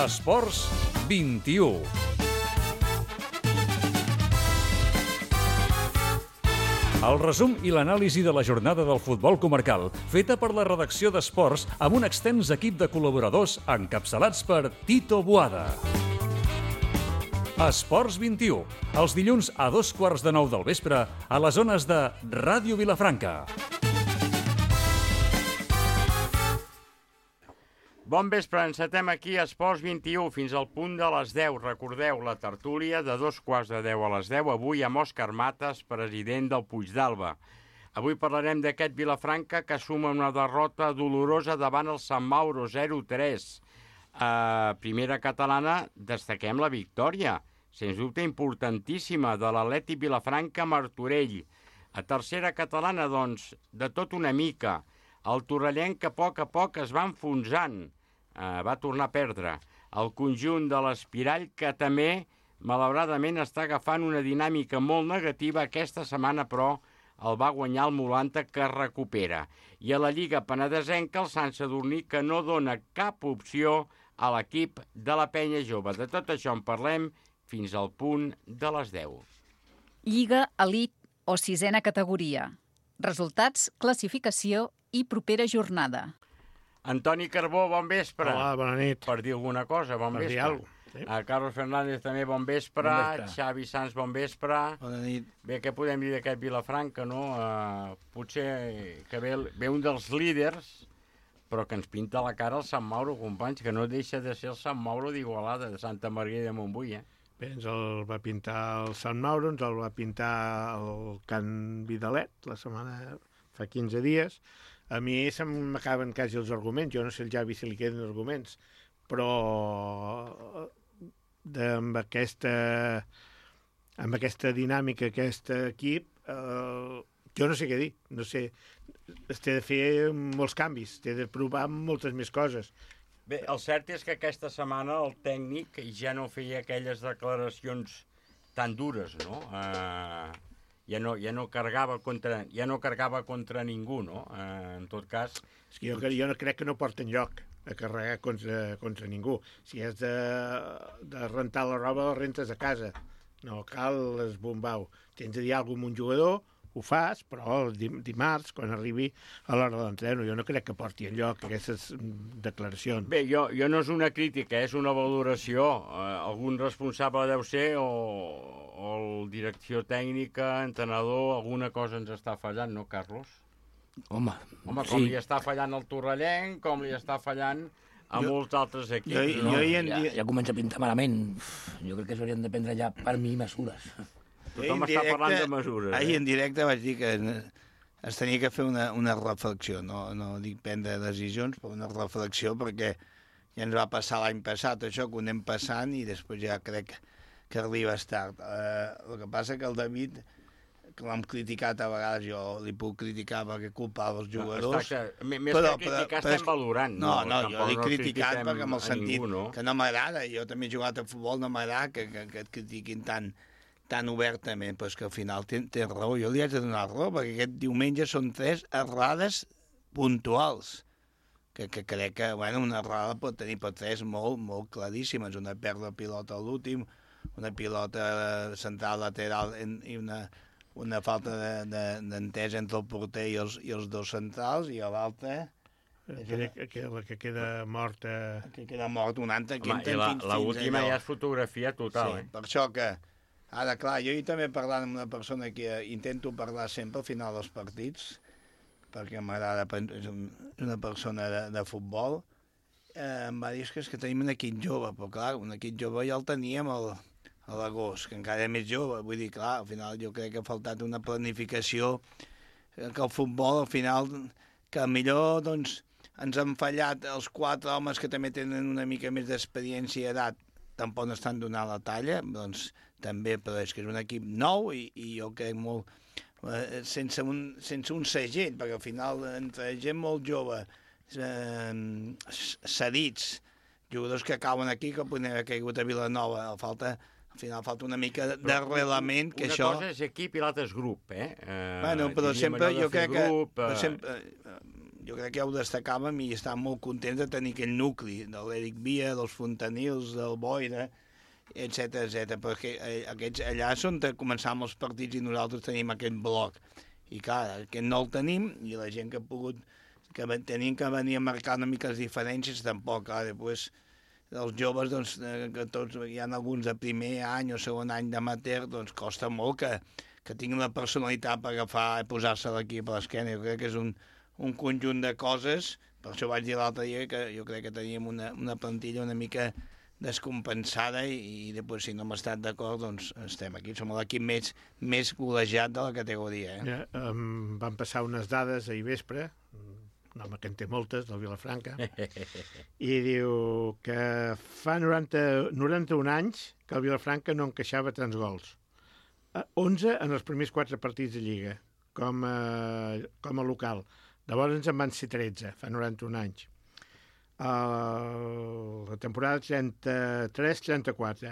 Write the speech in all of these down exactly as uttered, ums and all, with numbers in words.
Esports vint-i-u. El resum i l'anàlisi de la jornada del futbol comarcal, feta per la redacció d'Esports amb un extens equip de col·laboradors encapçalats per Tito Boada. Esports vint-i-u, els dilluns a dos quarts de nou del vespre a les zones de Ràdio Vilafranca. Bon vespre, encetem aquí a Esports vint-i-u fins al punt de les deu. Recordeu, la tertúlia de dos quarts de deu a les deu, avui amb Òscar Matas, president del Puigdàlber. Avui parlarem d'aquest Vilafranca que suma una derrota dolorosa davant el Sant Mauro, zero tres. A primera catalana destaquem la victòria, sens dubte importantíssima, de l'Atlètic Vilafranca-Martorell. A tercera catalana, doncs, de tot una mica. El torrellenc que a poc a poc es va enfonsant. Uh, va tornar a perdre. El conjunt de l'Espirall, que també, malauradament, està agafant una dinàmica molt negativa. Aquesta setmana, però, el va guanyar el Molanta, que recupera. I a la Lliga Penedesenca, el Sant Sadurní, que no dona cap opció a l'equip de la Penya Jove. De tot això en parlem fins al punt de les deu. Lliga Elite o sisena categoria. Resultats, classificació i propera jornada. Antoni Carbó, bon vespre. Hola, bona nit. Per dir alguna cosa, bon per vespre. Per dir alguna cosa. Sí. A Carlos Fernández també, bon vespre. Bon vespre. Xavi Sanz, bon vespre. Bona nit. Bé, què podem dir d'aquest Vilafranca, no? Uh, potser que ve, ve un dels líders, però que ens pinta la cara el Sant Mauro, companys, que no deixa de ser el Sant Mauro d'Igualada, de Santa Maria de Montbui, eh? Bé, ens el va pintar el Sant Mauro, ens el va pintar el Can Vidalet, la setmana fa quinze dies. A mi se m'acaben quasi els arguments, jo no sé el Javi si li queden arguments, però de, amb, aquesta, amb aquesta dinàmica, aquest equip, eh, jo no sé què dir, no sé, es té de fer molts canvis, té de provar moltes més coses. Bé, el cert és que aquesta setmana el tècnic ja no feia aquelles declaracions tan dures, no? Eh... Ja no, ja no carregava contra, ja no carregava contra ningú, no? Eh, en tot cas... És que jo, jo no crec que no porten lloc a carregar contra, contra ningú. Si has de, de rentar la roba, la rentes a casa. No cal esbombau. Tens de dir alguna cosa amb un jugador, ho fas, però el dimarts, quan arribi a l'hora de l'entreno, jo no crec que porti enlloc aquestes declaracions. Bé, jo, jo no és una crítica, és una valoració. Eh, algun responsable deu ser o, o el direcció tècnica, entrenador, alguna cosa ens està fallant, no, Carlos? Home, Home, com sí. li està fallant el Torrellenc, com li està fallant a jo, molts altres equips. Jo, no? jo hi en... ja, ja comença a pintar malament. Jo crec que s'haurien de prendre ja per mi mesures. Tothom està parlant de mesures. Ahir en directe vaig dir que es tenia que fer una, una reflexió, no, no dic prendre decisions, però una reflexió, perquè ja ens va passar l'any passat, això que ho anem passant, i després ja crec que arribes tard. Eh, el que passa que el David, que l'hem criticat a vegades, jo li puc criticar perquè culpava els jugadors. No, més però, que criticar però, estem valorant. No, no, no jo l'he no criticat perquè amb el sentit ningú, no? que no m'agrada, jo també he jugat a futbol, no m'agrada que, que, que et critiquin tant tan obertament, però és que al final tens ten raó, jo li haig de donar raó, perquè aquest diumenge són tres errades puntuals, que, que crec que, bueno, una errada pot tenir per tres molt, molt claríssimes, una pèrdua de pilota a l'últim, una pilota central lateral en, i una, una falta d'entesa de, de, entre el porter i els, i els dos centrals, i a l'altra... Que, que, la que queda morta... Que queda mort un altre, que Home, la, la última ja és fotografia total, sí, eh? Per això que... Ara, clar, jo hi també parlant amb una persona que intento parlar sempre al final dels partits, perquè m'agrada, és una persona de, de futbol, eh, em va dir que és que tenim un equip jove, però clar, un equip jove ja el teníem al, a l'agost, que encara és més jove, vull dir, clar, al final jo crec que ha faltat una planificació, que el futbol, al final, que millor, doncs, ens han fallat els quatre homes que també tenen una mica més d'experiència i edat, tampoc no estan donant la talla, doncs també, però és que és un equip nou i, i jo crec molt, eh, sense, un, sense un segell, perquè al final entre gent molt jove, eh, cedits, jugadors que cauen aquí, que podien haver caigut a Vilanova, falta, al final falta una mica d'arrelament, que una això... Una cosa és equip i l'altra és grup, eh? eh bueno, però sempre jo crec grup, que... Eh... Sempre, jo crec que ja ho destacàvem i estàvem molt contents de tenir aquell nucli de l'Eric Via, dels Fontanils, del Boira, etcètera, etcètera, perquè aquests allà és on començàvem els partits i nosaltres tenim aquest bloc. I clar, aquest no el tenim i la gent que ha pogut, que tenien que venir a marcar una mica les diferències, tampoc. Clar, després els joves, doncs, que tots, hi ha alguns de primer any o segon any d'amateur, doncs costa molt que, que tinguin la personalitat per agafar i posar-se l'equip a l'esquena. Jo crec que és un, un conjunt de coses, per això vaig dir l'altre dia que jo crec que teníem una, una plantilla una mica descompensada i, i després, si no hem estat d'acord, doncs estem aquí. Som l'equip més, més golejat de la categoria. Eh? Ja, um, van passar unes dades ahir vespre, un home que en té moltes, del Vilafranca, i diu que fa noranta, noranta-un anys que el Vilafranca no encaixava tants gols. onze en els primers quatre partits de Lliga, com a, com a local. Llavors en van ser tretze, fa noranta-un anys. Uh, la temporada trenta-tres trenta-quatre.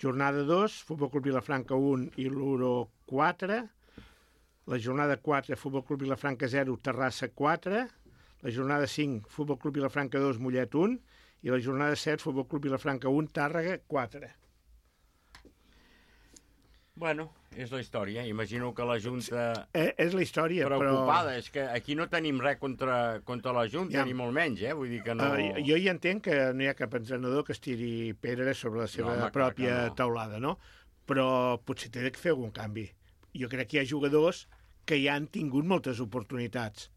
Jornada dos, Futbol Club Vilafranca un i l'Uro quatre. La jornada quatre, Futbol Club Vilafranca zero, Terrassa quatre. La jornada cinc, Futbol Club Vilafranca dos, Mollet un. I la jornada set, Futbol Club Vilafranca un, Tàrrega quatre. Bueno, és la història. Imagino que la Junta... Eh, és la història, preocupada. però... És que aquí no tenim res contra, contra la Junta, ja. Ni molt menys, eh? Vull dir que no... Uh, jo hi entenc que no hi ha cap entrenador que es tiri pedra sobre la seva no, home, pròpia no. taulada, no? Però potser té de fer algun canvi. Jo crec que hi ha jugadors que ja han tingut moltes oportunitats.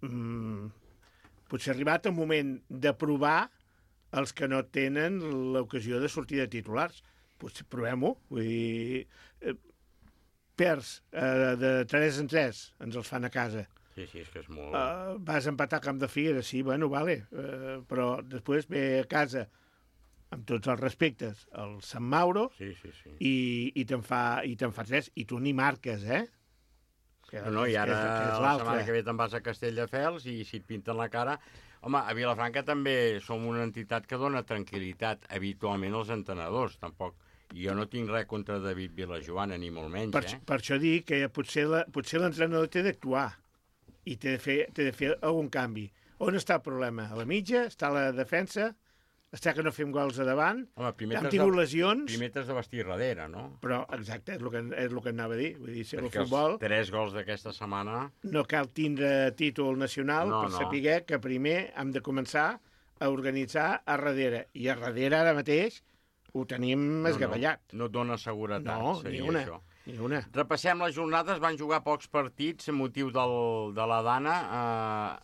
Mm, potser ha arribat el moment de provar els que no tenen l'ocasió de sortir de titulars. Potser provem-ho, vull dir, eh, perds eh, de tres en tres, ens els fan a casa. Sí, sí, és que és molt... Uh, vas empatar a Camp de Figueres, sí, bueno, vale, uh, però després ve a casa, amb tots els respectes, el Sant Mauro, sí, sí, sí. i, i te'n fa, i te'n fa tres, i tu ni marques, eh? Que, no, no, i ara que és, que és la setmana que ve te'n vas a Castelldefels i si et pinten la cara... Home, a Vilafranca també som una entitat que dona tranquil·litat habitualment als entrenadors, tampoc... Jo no tinc res contra David Vilajoana, ni molt menys, per, eh? Per això dic que potser la, potser l'entrenador té d'actuar i té de, fer, té de fer algun canvi. On està el problema? A la mitja? Està a la defensa? Està que no fem gols a davant? Home, primer hem tingut de, lesions? Primer t'has de vestir darrere, no? Però, exacte, és el que, és el que anava a dir. Vull dir, si el Perquè futbol... els tres gols d'aquesta setmana... No cal tindre títol nacional no, per no. saber que primer hem de començar a organitzar a darrere. I a darrere, ara mateix, ho tenim esgavellat. No, no, no et dona seguretat, no, seria ni una, això. Ni una. Repassem les jornades, van jugar pocs partits a motiu del, de la Dana. A,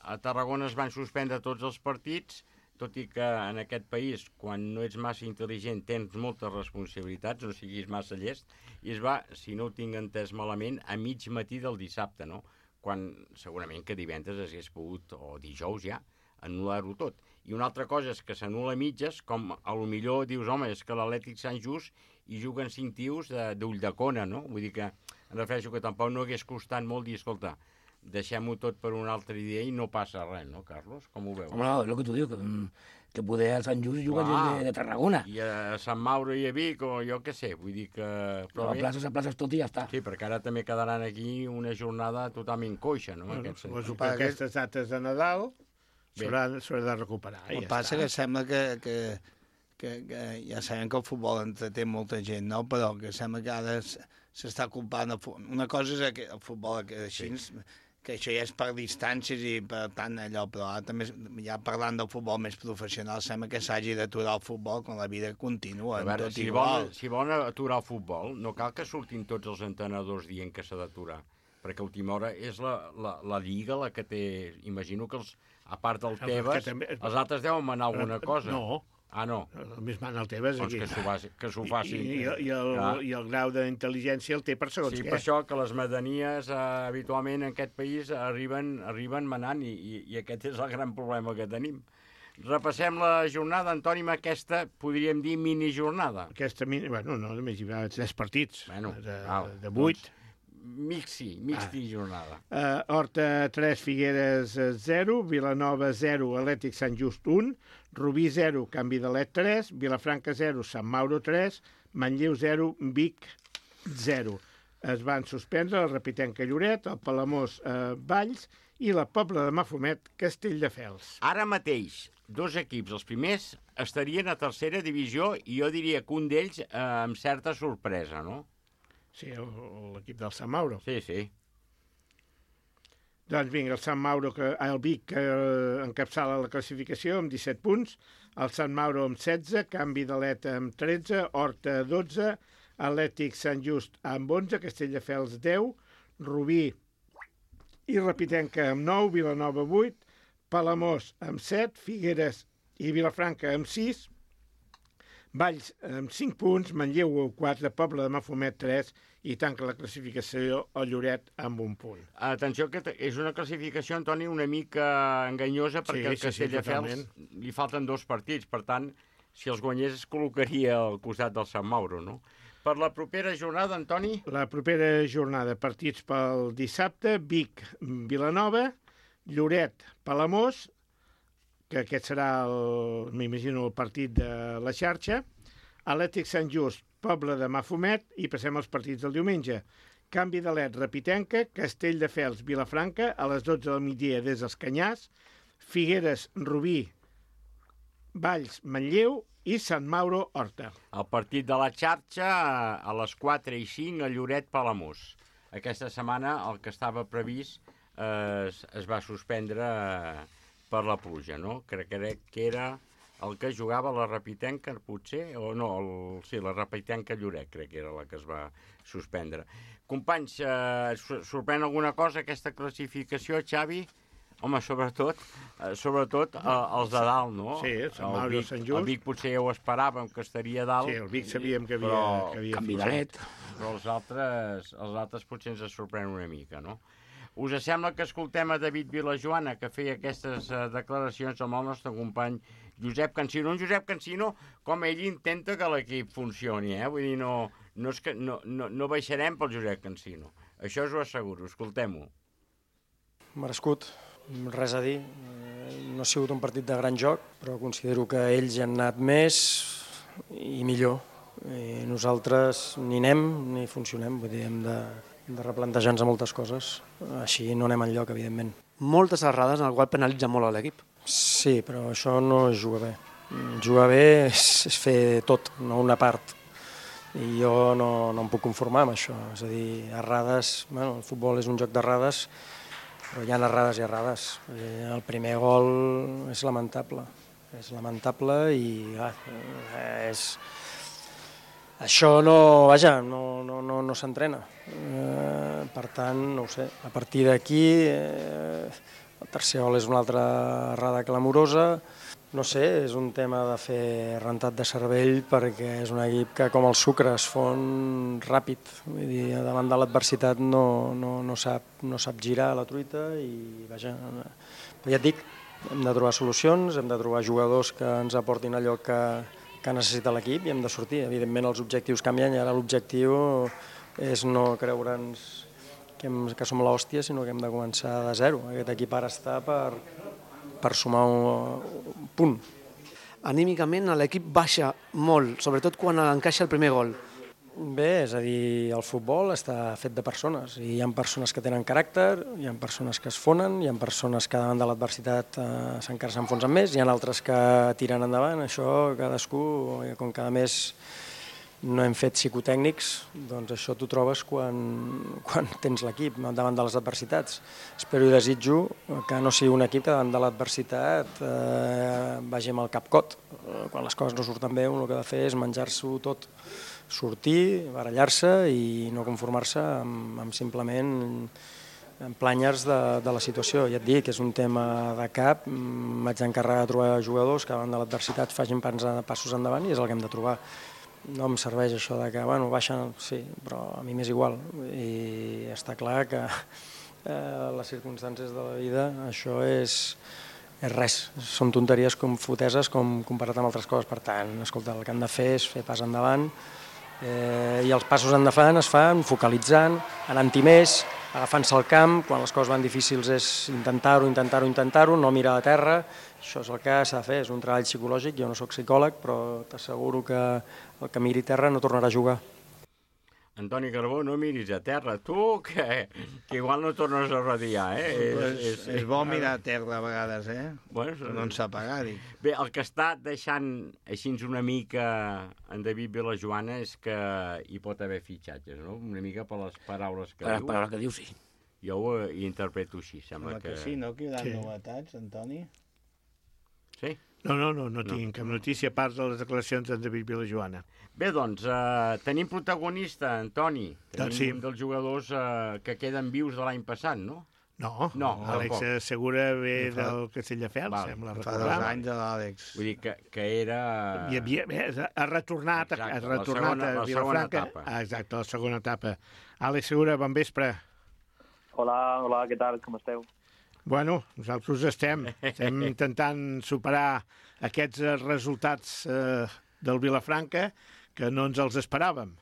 a Tarragona es van suspendre tots els partits, tot i que en aquest país, quan no ets massa intel·ligent, tens moltes responsabilitats, no siguis massa llest, i es va, si no ho tinc entès malament, a mig matí del dissabte, no? Quan segurament que divendres hagués pogut, o dijous ja, anul·lar-ho tot. I una altra cosa és que s'anul·la a mitges, com a lo millor dius, home, és que l'Atlètic Sant Just hi juguen cinc tios d'Ulldecona, no? Vull dir que, em refereixo que tampoc no hagués costat molt dir, escolta, deixem-ho tot per un altre dia i no passa res, no, Carlos? Com ho veus? Home, no, és el que tu dius, que, que poder a Sant Just juga gent de, de Tarragona. I a Sant Mauro i a Vic, o jo què sé, vull dir que... Però a places, a places tot i ja està. Sí, perquè ara també quedaran aquí una jornada totalment coixa, no? Bueno, Aquest suposo que aquestes dates de Nadal s'haurà de recuperar. El ja que passa està. que sembla que, que, que, que ja sabem que el futbol entreté molta gent, no? Però que sembla que ara s'està culpant... Una cosa és que el futbol que així, sí. que això ja és per distàncies i per tant allò, però ara també, ja parlant del futbol més professional, sembla que s'hagi d'aturar el futbol quan la vida continua. A veure, tot si, igual. vol, si volen aturar el futbol, no cal que surtin tots els entrenadors dient que s'ha d'aturar, perquè a última hora és la, la, la Lliga la que té... Imagino que els, a part del Tebas, també... els altres deuen manar alguna cosa. No. Ah, no? Només mana el Tebas. Doncs que s'ho faci, que s'ho facin. I, i, i, el, I el grau d'intel·ligència el té per segons sí, què. Sí, per això que les medanies eh, habitualment en aquest país arriben, arriben manant i, i, i aquest és el gran problema que tenim. Repassem la jornada, Antoni, amb aquesta, podríem dir, minijornada. Aquesta mini... Bueno, no, només hi va tres partits. Bueno, de, val, de vuit. Doncs, mixi, mixi ah. jornada. Uh, Horta tres, Figueres zero, Vilanova zero, Atlètic Sant Just un, Rubí zero, Canvi de Let tres, Vilafranca zero, Sant Mauro tres, Manlleu zero, Vic zero. Es van suspendre el Repitenca Lloret, el Palamós eh, Valls i la Pobla de Mafumet, Castelldefels. Ara mateix, dos equips, els primers, estarien a tercera divisió i jo diria que un d'ells eh, amb certa sorpresa, no? Sí, l'equip del Sant Mauro. Sí, sí. Doncs vinga, el Sant Mauro, que, el Vic, que encapçala la classificació amb disset punts, el Sant Mauro amb setze, Canvi d'Aleta amb tretze, Horta dotze, Atlètic Sant Just amb onze, Castelldefels deu, Rubí i Repitenca amb nou, Vilanova vuit, Palamós amb set, Figueres i Vilafranca amb sis, Valls amb cinc punts, Manlleu quatre, Pobla de Mafumet tres i tanca la classificació el Lloret amb un punt. Atenció, que és una classificació, Antoni, una mica enganyosa perquè al Sí, sí, sí, Castelldefels totalment. li falten dos partits, per tant, si els guanyés es col·locaria al costat del Sant Mauro, no? Per la propera jornada, Antoni? La propera jornada, partits pel dissabte, Vic, Vilanova, Lloret, Palamós, que aquest serà, el, m'imagino, el partit de la xarxa, Atlètic Sant Just, Pobla de Mafumet, i passem als partits del diumenge. Canvi d'Alet, Repitenca, Castelldefels, Vilafranca, a les dotze del migdia des dels Canyars, Figueres, Rubí, Valls, Manlleu i Sant Mauro, Horta. El partit de la xarxa a les quatre i cinc a Lloret, Palamós. Aquesta setmana el que estava previst eh, es, es va suspendre eh, per la pluja, no? Crec, crec que era el que jugava la Repitenca, potser, o no, el, sí, la Repitenca Lloret, crec que era la que es va suspendre. Companys, eh, sorprèn alguna cosa aquesta classificació, Xavi? Home, sobretot, eh, sobretot eh, els de dalt, no? Sí, Sant Mauro i Sant Just. El Vic potser ja ho esperàvem, que estaria a dalt. Sí, el Vic sabíem que havia, però, que havia Canvi fluixat. d'Alet. Però els altres, els altres potser ens sorprèn una mica, no? Us sembla que escoltem a David Vilajoana, que feia aquestes uh, declaracions amb el nostre company Josep Cansino. Un Josep Cansino, com ell intenta que l'equip funcioni, eh? Vull dir, no, no, és que, no, no, no baixarem pel Josep Cansino. Això us ho asseguro, escoltem-ho. Merescut, res a dir. No ha sigut un partit de gran joc, però considero que ells han anat més i millor. I nosaltres ni anem ni funcionem, vull dir, hem de, de replantejar-nos moltes coses. Així no anem enlloc, evidentment. Moltes errades en el qual penalitza molt a l'equip. Sí, però això no es juga bé. Jugar bé és, és fer tot, no una part. I jo no, no em puc conformar amb això. És a dir, errades, bueno, el futbol és un joc d'errades, però hi ha errades i errades. El primer gol és lamentable. És lamentable i ah, és... Això no, vaja, no, no, no, no s'entrena. Eh, per tant, no ho sé, a partir d'aquí eh, el tercer gol és una altra errada clamorosa. No sé, és un tema de fer rentat de cervell perquè és un equip que com el sucre es fon ràpid. Vull dir, davant de l'adversitat no, no, no, sap, no sap girar la truita i vaja, però ja et dic, hem de trobar solucions, hem de trobar jugadors que ens aportin allò que que necessita l'equip i hem de sortir. Evidentment els objectius canvien i ara l'objectiu és no creure'ns que, hem, que som l'hòstia, sinó que hem de començar de zero. Aquest equip ara està per, per sumar un, un punt. Anímicament l'equip baixa molt, sobretot quan encaixa el primer gol. Bé, és a dir, el futbol està fet de persones i hi ha persones que tenen caràcter, hi ha persones que es fonen, hi ha persones que davant de l'adversitat eh, encara s'enfonsen més, hi ha altres que tiren endavant. Això cadascú, com cada mes no hem fet psicotècnics, doncs això t'ho trobes quan, quan tens l'equip davant de les adversitats. Espero i desitjo que no sigui un equip que davant de l'adversitat eh, vagi amb el cap cot. Quan les coses no surten bé, el que ha de fer és menjar-s'ho tot, sortir, barallar-se i no conformar-se amb, amb simplement planyes de, de la situació. Ja et dic, és un tema de cap, m'haig d'encarregar de trobar jugadors que davant de l'adversitat facin passos endavant i és el que hem de trobar. No em serveix això de que, bueno, baixen, sí, però a mi m'és igual. I està clar que eh, les circumstàncies de la vida, això és, és res. Són tonteries com foteses com comparat amb altres coses. Per tant, escolta, el que han de fer és fer pas endavant eh, i els passos endavant es fan focalitzant, anant-hi més, agafant-se al camp, quan les coses van difícils és intentar-ho, intentar-ho, intentar-ho, no mirar a terra. Això és el que s'ha de fer, és un treball psicològic, jo no soc psicòleg, però t'asseguro que el que miri terra no tornarà a jugar. Antoni Carbó, no miris a terra, tu, que, que igual no tornes a radiar, eh? És, És, és, és bo mirar a terra a vegades, eh? Bueno, no ens apagar, dic. Bé, el que està deixant així una mica en David Vilajoana és que hi pot haver fitxatges, no? Una mica per les paraules que Per, diu. per el que diu, sí. Jo ho eh, interpreto així, sembla Sembla que... que sí, no? Que hi haurà Sí. novetats, Antoni? Sí? No, no, no, no tinc cap notícia a part de les declaracions d'en David Vilajoana. Bé, doncs, eh, tenim protagonista, Antoni. Tenim Doncs sí. un dels jugadors eh, que queden vius de l'any passat, no? No, No, Àlex tampoc. Segura ve Fa- del Castelldefels, Val, sembla Fa recordar. dos anys de l'Àlex. Vull dir que, que era... I havia, bé, ha retornat, Exacte, ha la retornat segona- a la segona Vilafranca. etapa. Ah, exacte, la segona etapa. Àlex Segura, bon vespre. Hola, hola, què tal? Com esteu? Bueno, nosaltres estem, estem intentant superar aquests eh, resultats eh, del Vilafranca que no ens els esperàvem.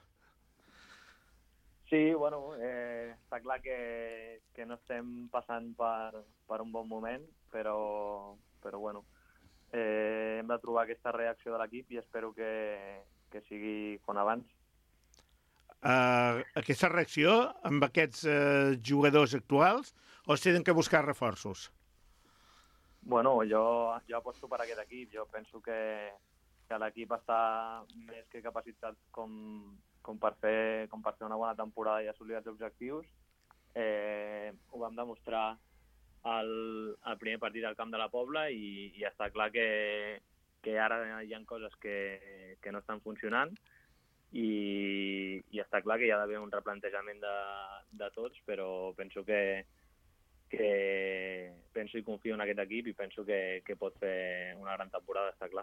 Sí, bueno, eh, està clar que, que no estem passant per, per un bon moment, però, però bueno, eh, hem de trobar aquesta reacció de l'equip i espero que, que sigui com abans. Uh, aquesta reacció amb aquests uh, jugadors actuals o es tenen que buscar reforços? Bueno, jo, jo aposto per aquest equip. Jo penso que, que l'equip està més que capacitat com, com, per fer, com per fer una bona temporada i assolir els objectius. Eh, ho vam demostrar al, al primer partit al Camp de la Pobla i, i està clar que, que ara hi ha coses que, que no estan funcionant i, i està clar que hi ha d'haver un replantejament de, de tots, però penso que, que penso i confio en aquest equip i penso que, que pot fer una gran temporada, està clar.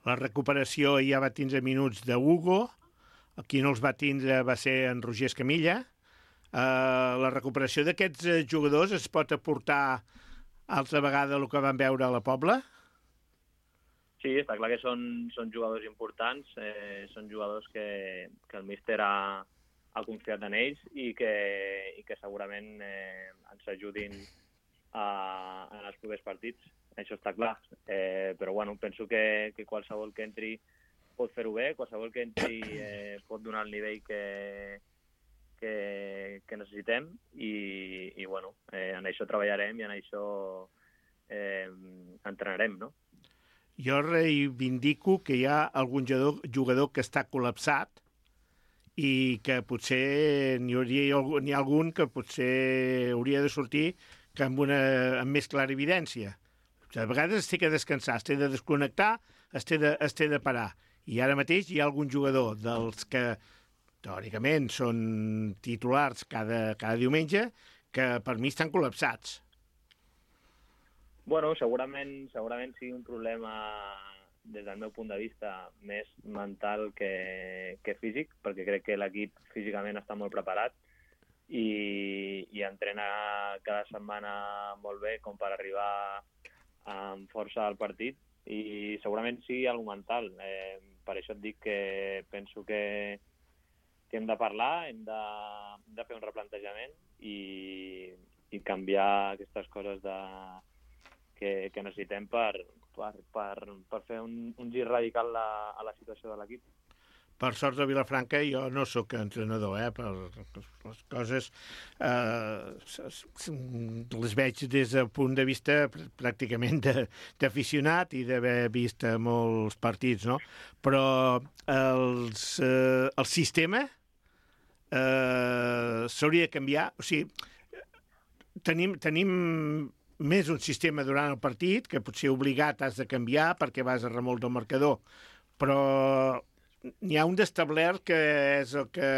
La recuperació ja va tindre minuts de Hugo, qui no els va tindre va ser en Roger Escamilla. Uh, la recuperació d'aquests uh, jugadors es pot aportar altra vegada el que vam veure a la Pobla? Sí, està clar que són, són jugadors importants, eh, són jugadors que, que el míster ha, ha confiat en ells i que, i que segurament eh, ens ajudin a, en els propers partits. Això està clar. Eh, però bueno, penso que, que qualsevol que entri pot fer-ho bé, qualsevol que entri eh, pot donar el nivell que, que, que necessitem i, i bueno, eh, en això treballarem i en això eh, entrenarem, no? Jo reivindico que hi ha algun jugador, jugador que està col·lapsat i que potser n'hi hauria n'hi ha algun que potser hauria de sortir que amb, una, amb més clara evidència. A vegades es té que descansar, es té de desconnectar, es té de, es té de parar. I ara mateix hi ha algun jugador dels que teòricament són titulars cada, cada diumenge que per mi estan col·lapsats. Bueno, segurament, segurament sigui un problema des del meu punt de vista més mental que, que físic, perquè crec que l'equip físicament està molt preparat i, i entrena cada setmana molt bé com per arribar amb força al partit i segurament sigui alguna mental. Eh, per això et dic que penso que, que hem de parlar, hem de, hem de fer un replantejament i, i canviar aquestes coses de Que, que necessitem per, per, per, per fer un, un gir radical a, a la situació de l'equip. Per sort de Vilafranca, jo no sóc entrenador, eh? Per les coses eh, les veig des del punt de vista pràcticament d'aficionat i d'haver vist molts partits, no? Però els, eh, el sistema eh, s'hauria de canviar. O sigui, tenim... tenim més un sistema durant el partit, que potser obligat has de canviar perquè vas a remolc del marcador, però n'hi ha un d'establert que és el que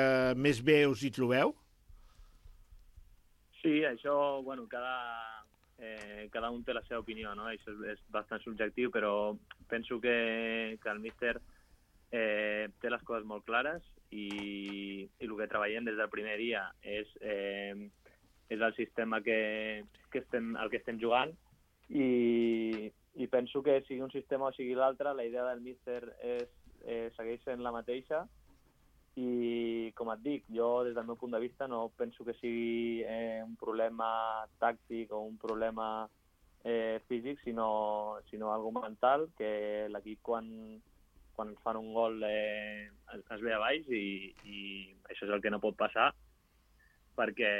més bé us hi trobeu? Sí, això, bueno, cada, eh, cada un té la seva opinió, no? Això és, és bastant subjectiu, però penso que, que el míster eh, té les coses molt clares i, i el que treballem des del primer dia és... Eh, és el sistema que, que estem, el que estem jugant i, i penso que sigui un sistema o sigui l'altre, la idea del míster és, eh, segueix sent la mateixa i, com et dic, jo des del meu punt de vista no penso que sigui eh, un problema tàctic o un problema eh, físic, sinó, sinó algo mental, que l'equip quan, quan ens fan un gol eh, es, es ve a baix i, i això és el que no pot passar perquè,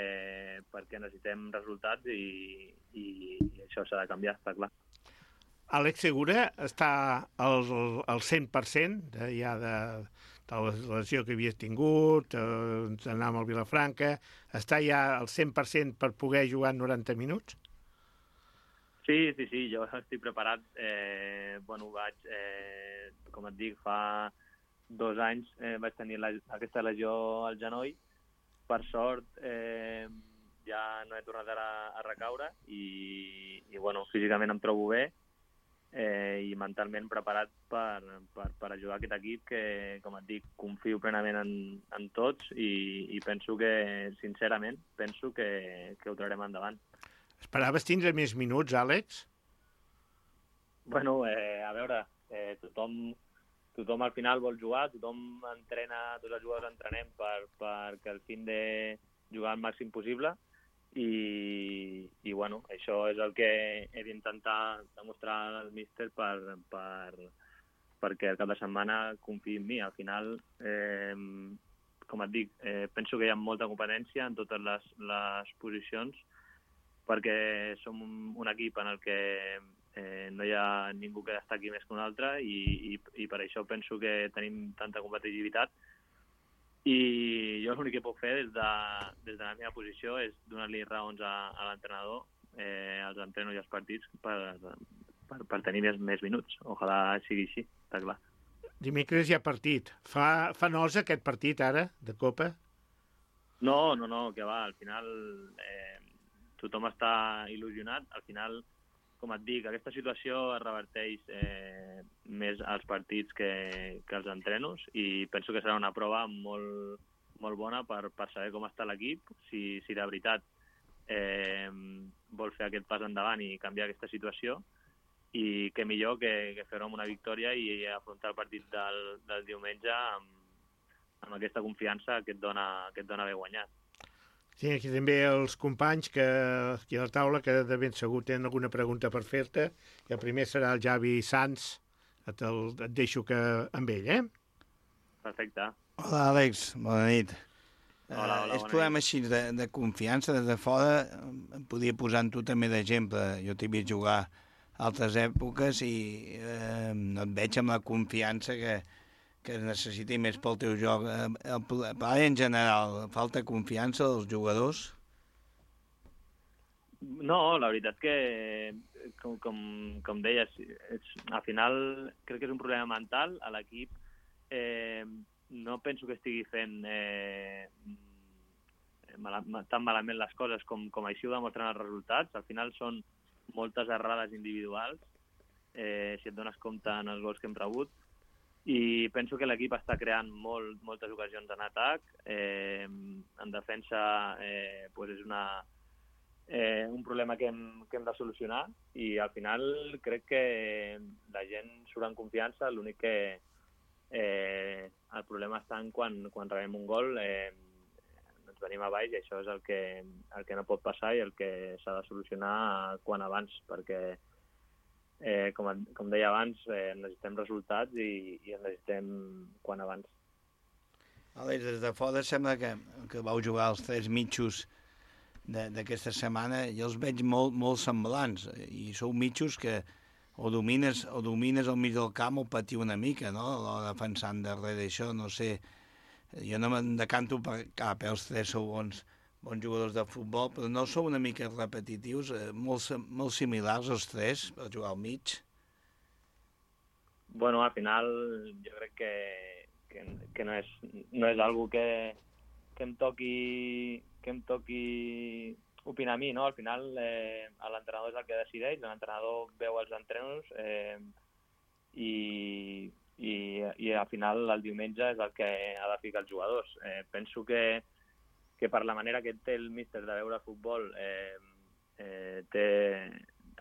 perquè necessitem resultats i, i, i això s'ha de canviar, està clar. Àlex Segura està al, al cent per cent de, ja de, de la lesió que havies tingut, eh, anar amb el Vilafranca, està ja al cent per cent per poder jugar noranta minuts? Sí, sí, sí, jo estic preparat. Eh, bueno, vaig, eh, com et dic, fa dos anys eh, vaig tenir la, aquesta lesió al genoll. Per sort, eh, ja no he tornat a, a recaure i, i bueno, físicament em trobo bé eh, i mentalment preparat per, per, per ajudar aquest equip que, com et dic, confio plenament en, en tots i, i penso que, sincerament, penso que, que ho traurem endavant. Esperaves tindre més minuts, Àlex? Bueno, eh, a veure, eh, tothom, tothom al final vol jugar, tothom entrena, tots els jugadors entrenem per, perquè al fin de jugar al màxim possible i, i bueno, això és el que he d'intentar demostrar al míster per, per, perquè el cap de setmana confiï en mi. Al final, eh, com et dic, eh, penso que hi ha molta competència en totes les, les posicions perquè som un, un equip en el que eh, no hi ha ningú que destaqui més que un altre i, i, i per això penso que tenim tanta competitivitat i jo l'únic que puc fer des de, des de la meva posició és donar-li raons a, a l'entrenador eh, als entrenos i als partits per, per, per tenir més, més minuts. Ojalà sigui així, està clar. Dimecres hi ha partit. Fa, fa nosa aquest partit ara, de Copa? No, no, no, que va, al final eh, tothom està il·lusionat. Al final, com et dic, aquesta situació es reverteix eh, més als partits que, que als entrenos i penso que serà una prova molt, molt bona per, per saber com està l'equip, si, si de veritat eh, vol fer aquest pas endavant i canviar aquesta situació i què millor que, que fer-ho amb una victòria i afrontar el partit del, del diumenge amb, amb aquesta confiança que et dona, que et dona haver guanyat. Sí, aquí també els companys que aquí a la taula que de ben segur tenen alguna pregunta per fer-te. I el primer serà el Javi Sanz. Et, el, et deixo que amb ell, eh? Perfecte. Hola, Àlex. Bona nit. Hola, hola, uh, és bona problema nit. així de, de confiança des de fora. Em podia posar en tu també d'exemple. Jo t'he vist jugar altres èpoques i eh, no et veig amb la confiança que, que es necessiti més pel teu joc. El, el, en general, falta confiança dels jugadors? No, la veritat que, com, com, com deies, és, al final crec que és un problema mental. A l'equip eh, no penso que estigui fent eh, mal, tan malament les coses com, com així ho demostren els resultats. Al final són moltes errades individuals, eh, si et dones compte en els gols que hem rebut, i penso que l'equip està creant molt, moltes ocasions en atac. Eh, en defensa eh, pues és una, eh, un problema que hem, que hem de solucionar i al final crec que la gent surt en confiança. L'únic que eh, el problema està en quan, quan rebem un gol eh, ens venim a baix i això és el que, el que no pot passar i el que s'ha de solucionar quan abans, perquè Eh, com, com deia abans, eh, necessitem resultats i, i en necessitem quan abans. Àlex, des de fora sembla que, que vau jugar els tres mitjos d'aquesta setmana i els veig molt, molt semblants i sou mitjos que o domines, o domines al mig del camp o patiu una mica, no? L'hora defensant darrere això, no sé, jo no me'n decanto per cap, eh? Els tres sou bons bons jugadors de futbol, però no sou una mica repetitius, eh, molt, molt similars els tres per jugar al mig? Bueno, al final jo crec que, que, que no és, no és algo que, que em toqui que em toqui opinar a mi, no? Al final eh, l'entrenador és el que decideix, l'entrenador veu els entrenos eh, i, i, i al final el diumenge és el que ha de ficar els jugadors. Eh, penso que que per la manera que té el míster de veure futbol eh, eh, té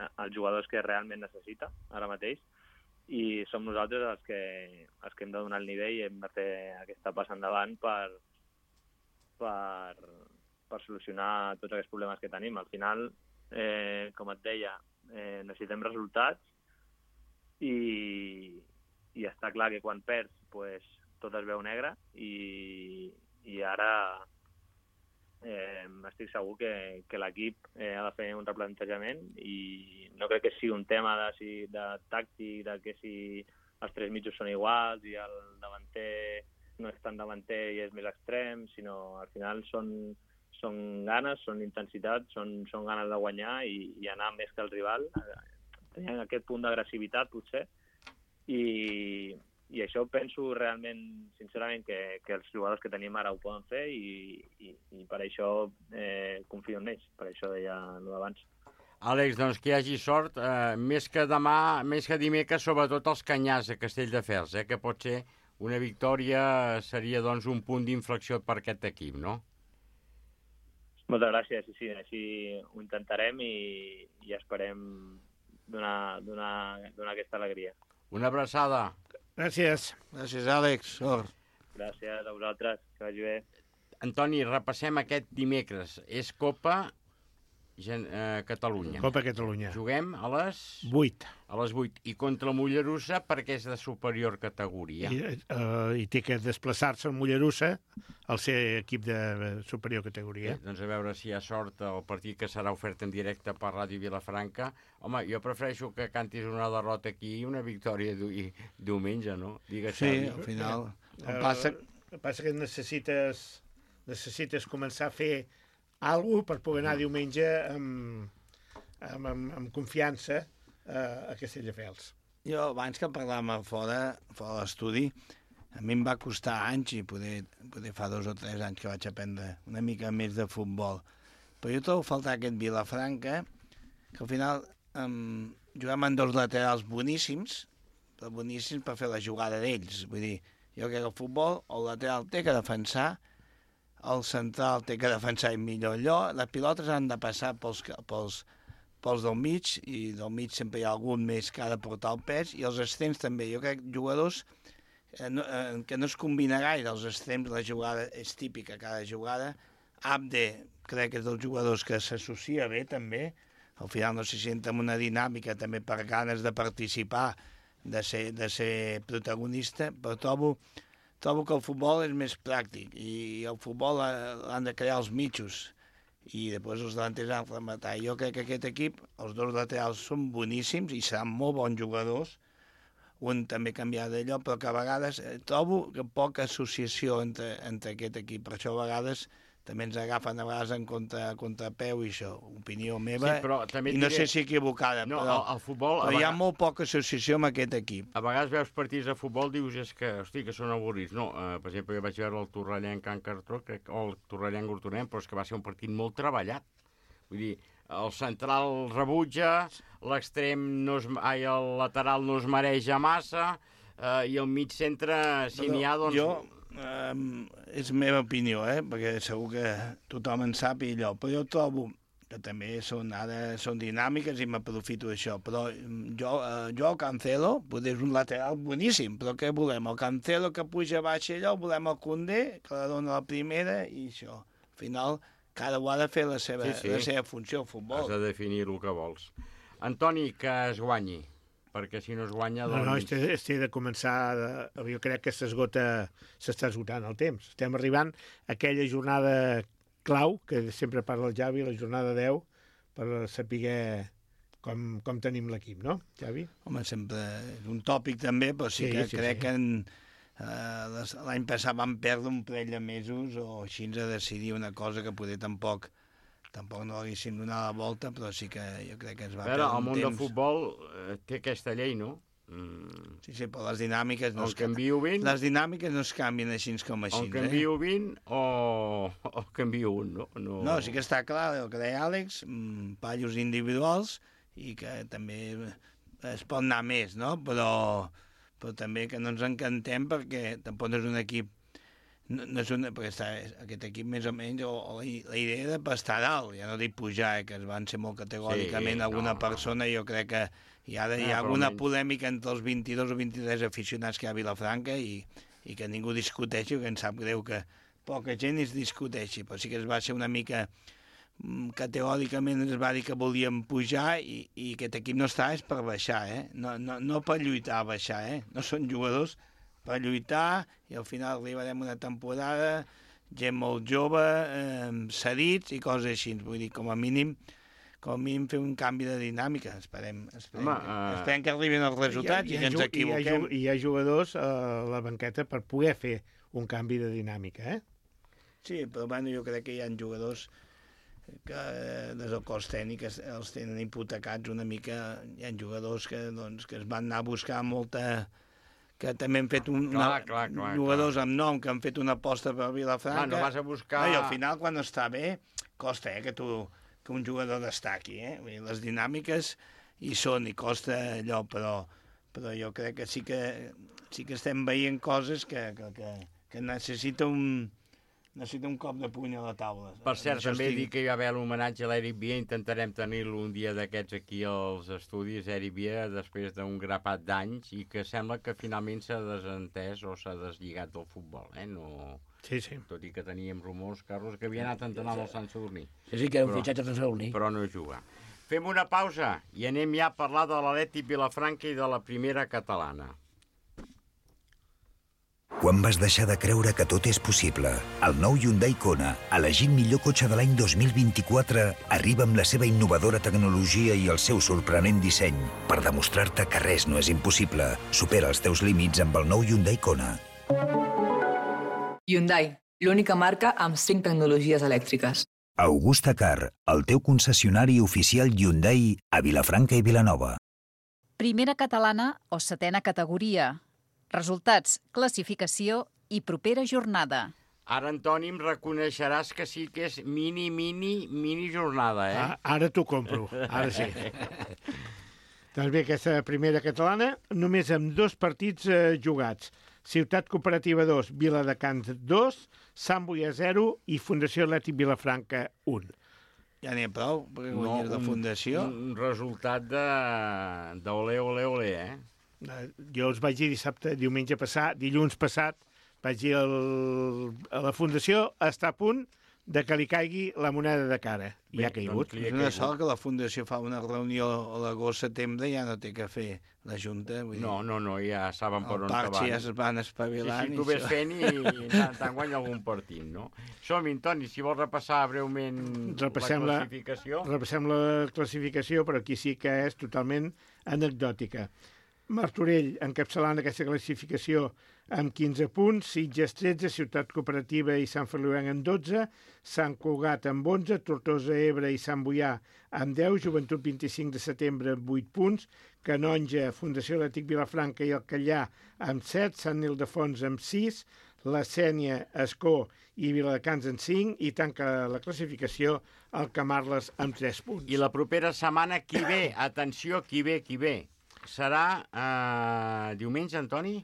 els jugadors que realment necessita ara mateix i som nosaltres els que, els que hem de donar el nivell i hem de fer aquesta passa endavant per, per, per solucionar tots aquests problemes que tenim. Al final, eh, com et deia, eh, necessitem resultats i, i i està clar que quan perds pues, tot es veu negre i, i ara eh, estic segur que, que l'equip eh, ha de fer un replantejament i no crec que sigui un tema de, si, de tàctic, de que si els tres mitjos són iguals i el davanter no és tan davanter i és més extrem, sinó al final són, són ganes, són intensitat, són, són ganes de guanyar i, i anar més que el rival. Tenien aquest punt d'agressivitat, potser, i, i això penso realment, sincerament, que, que els jugadors que tenim ara ho poden fer i, i, i per això eh, confio en ells, per això deia no d'abans. Àlex, doncs que hi hagi sort, eh, més que demà, més que dimecres, sobretot els Canyars a Castelldefels, eh, que pot ser una victòria, seria doncs un punt d'inflexió per aquest equip, no? Moltes gràcies, sí, sí, així ho intentarem i, i esperem donar, donar, donar aquesta alegria. Una abraçada. Gràcies. Gràcies, Àlex. Sort. Gràcies a vosaltres, que vagi bé. Antoni, repassem aquest dimecres. És Copa Gen eh, Catalunya. Copa Catalunya. Juguem a les... vuit. A les vuit. I contra el Mollerussa perquè és de superior categoria. I, uh, i té que desplaçar-se al Mollerussa al ser equip de superior categoria. Bé, doncs a veure si hi ha sort el partit que serà ofert en directe per Ràdio Vilafranca. Home, jo prefereixo que cantis una derrota aquí i una victòria diumenge, no? Digues, sí, Xavi. al final. Uh, passa... El passa que necessites, necessites començar a fer alguna cosa per poder anar diumenge amb, amb, amb, amb confiança uh, a Castelldefels. Jo, abans que parlàvem fora, fora de l'estudi, a mi em va costar anys, i poder, poder fa dos o tres anys que vaig aprendre una mica més de futbol. Però jo trobo faltar aquest Vilafranca, que al final um, juguem amb dos laterals boníssims, però boníssims per fer la jugada d'ells. Vull dir, jo crec que el futbol, el lateral té que defensar, el central té que defensar en millor lloc, les pilotes han de passar pels, pels, pels del mig, i del mig sempre hi ha algun més que ha de portar el pes, i els extrems també. Jo crec que jugadors eh, no, eh, que no es combina gaire, els extrems, la jugada és típica, cada jugada. Abde, crec que és dels jugadors que s'associa bé també, al final no se sent en una dinàmica també per ganes de participar, de ser, de ser protagonista, però trobo Trobo que el futbol és més pràctic i el futbol l'han de crear els mitjos i després els delanters han de rematar. Jo crec que aquest equip, els dos laterals són boníssims i seran molt bons jugadors, un també canviar de lloc, però que a vegades eh, trobo que poca associació entre, entre aquest equip. Per això a vegades també ens agafen a vegades en contra, contrapeu i això, opinió meva, sí, però també i no diré... sé si equivocada, no, però, el, el futbol, però hi ha vegades... molt poca associació amb aquest equip. A vegades veus partits de futbol, dius és que, hosti, que són avorrits. No, uh, per exemple, jo vaig veure el Torrellent Can Cartró, crec, o el Torrellent Gortonem, però és que va ser un partit molt treballat. Vull dir, el central rebutja, l'extrem no es, ai, el lateral no es mareja massa, uh, i el mig centre, si n'hi ha, doncs... Jo... Um, és meva opinió, eh? Perquè segur que tothom en sap i allò, però jo trobo que també són, ara són dinàmiques i m'aprofito d'això, però jo, uh, jo el Cancelo, potser és un lateral boníssim, però què volem? El Cancelo que puja baix allò, volem el Koundé, que la dona la primera i això. Al final, cada un ha de fer la seva, sí, sí. la seva funció al futbol. Has de definir el que vols. Antoni, que es guanyi, perquè si no es guanya... Doncs... No, no, este, este de començar... De, jo crec que s'esgota, s'està esgotant el temps. Estem arribant a aquella jornada clau, que sempre parla el Javi, la jornada deu, per saber com, com tenim l'equip, no, Javi? Home, sempre és un tòpic també, però sí, sí que sí, crec sí. que en, uh, l'any passat vam perdre un parell de mesos o així a decidir una cosa que poder tampoc... Tampoc no haguéssim donat la volta, però sí que jo crec que es va perdre un temps. El món temps. del futbol eh, té aquesta llei, no? Mm. Sí, sí, però les dinàmiques... No el canvio vint... Les dinàmiques no es canvien així com així. El canvio eh? vint o el canvio un, no? no? No, sí que està clar el que deia Àlex, mmm, pallos individuals i que també es pot anar més, no? Però, però també que no ens encantem perquè tampoc no és un equip No, no és una, perquè està, aquest equip més o menys, o, o la, la idea de estar dalt, ja no dic pujar, eh, que es van ser molt categòricament, sí, alguna no, persona, jo crec que hi ha, de, hi ha no, alguna polèmica entre els vint-i-dos o vint-i-tres aficionats que hi ha a Vilafranca i, i que ningú discuteixi, que em sap greu que poca gent es discuteixi, però sí que es va ser una mica que teòricament ens va dir que volíem pujar i, i aquest equip no està és per baixar, eh? No, no, no per lluitar a baixar, eh? No són jugadors per lluitar i al final arribarem una temporada, gent molt jove, eh, cedits i coses així. Vull dir, com a mínim, com a mínim fer un canvi de dinàmica. Esperem, esperem, Home, uh... esperem que arribin els resultats i, i que ens equivoquem. I hi ha jugadors a la banqueta per poder fer un canvi de dinàmica, eh? Sí, però bueno, jo crec que hi ha jugadors que des del cos tècnic els tenen hipotecats una mica. Hi ha jugadors que, doncs, que es van anar a buscar molta... que també han fet un, clar, una, clar, clar, jugadors clar. amb nom que han fet una aposta per Vilafranca. Clar, no vas a buscar... I al final, quan està bé, costa eh, que, tu, que un jugador destaqui. Eh? Vull dir, les dinàmiques hi són, i costa allò, però, però jo crec que sí que, sí que estem veient coses que, que, que, que necessita un... necessita un cop de puny a la taula. Per cert, també estic... dic que hi va haver l'homenatge a l'Eric Via, intentarem tenir-lo un dia d'aquests aquí als estudis, Eric Via, després d'un grapat d'anys, i que sembla que finalment s'ha desentès o s'ha deslligat del futbol, eh? No... Sí, sí. Tot i que teníem rumors, Carlos, que havia anat a entrenar amb el Sant Sadurní. Sí, sí, que era un fitxatge al Sant Sadurní. Però no juga. Fem una pausa i anem ja a parlar de l'Atlètic Vilafranca i de la primera catalana. Quan vas deixar de creure que tot és possible? El nou Hyundai Kona, elegit millor cotxe de l'any dos mil vint-i-quatre, arriba amb la seva innovadora tecnologia i el seu sorprenent disseny per demostrar-te que res no és impossible. Supera els teus límits amb el nou Hyundai Kona. Hyundai, l'única marca amb cinc tecnologies elèctriques. Augusta Car, el teu concessionari oficial Hyundai a Vilafranca i Vilanova. Primera catalana o setena categoria. Resultats, classificació i propera jornada. Ara, Antoni, em reconeixeràs que sí que és mini, mini, mini jornada, eh? Ah, ara t'ho compro, ara sí. Doncs bé, aquesta primera catalana, només amb dos partits eh, jugats. Ciutat Cooperativa dos, Viladecans dos, Sant Boi zero i Fundació Atlètic Vilafranca un. Ja n'hi ha prou, perquè guanyes no, de Fundació. Un, un resultat de, de ole, ole, ole, eh? Jo els vaig dir dissabte, diumenge passat, dilluns passat, vaig dir el, a la Fundació està a punt de que li caigui la moneda de cara. I ha caigut. Doncs és una sort que la Fundació fa una reunió a l'agost-setembre i ja no té que fer la Junta. Vull dir, no, no, no, ja saben per on van. El parc ja es van espavilant. Sí, sí, tu ves fent i, i tant, tant guanya algun partit, no? Som-hi, Toni, si vols repassar breument repassem la classificació. La, repassem la classificació, però aquí sí que és totalment anecdòtica. Martorell encapçalant aquesta classificació amb quinze punts, Sitges tretze, Ciutat Cooperativa i Sant Feliuenc amb dotze, Sant Cugat amb onze, Tortosa, Ebre i Sant Boià amb deu, Joventut vint-i-cinc de setembre amb vuit punts, Canonja, Fundació Atlètic Vilafranca i el Callà amb set, Sant Ildefons amb sis, la Sénia, Escó i Viladecans amb cinc i tanca la classificació el Camarles amb tres punts. I la propera setmana qui ve? Atenció, qui ve, qui ve? Serà eh, diumenge, Antoni?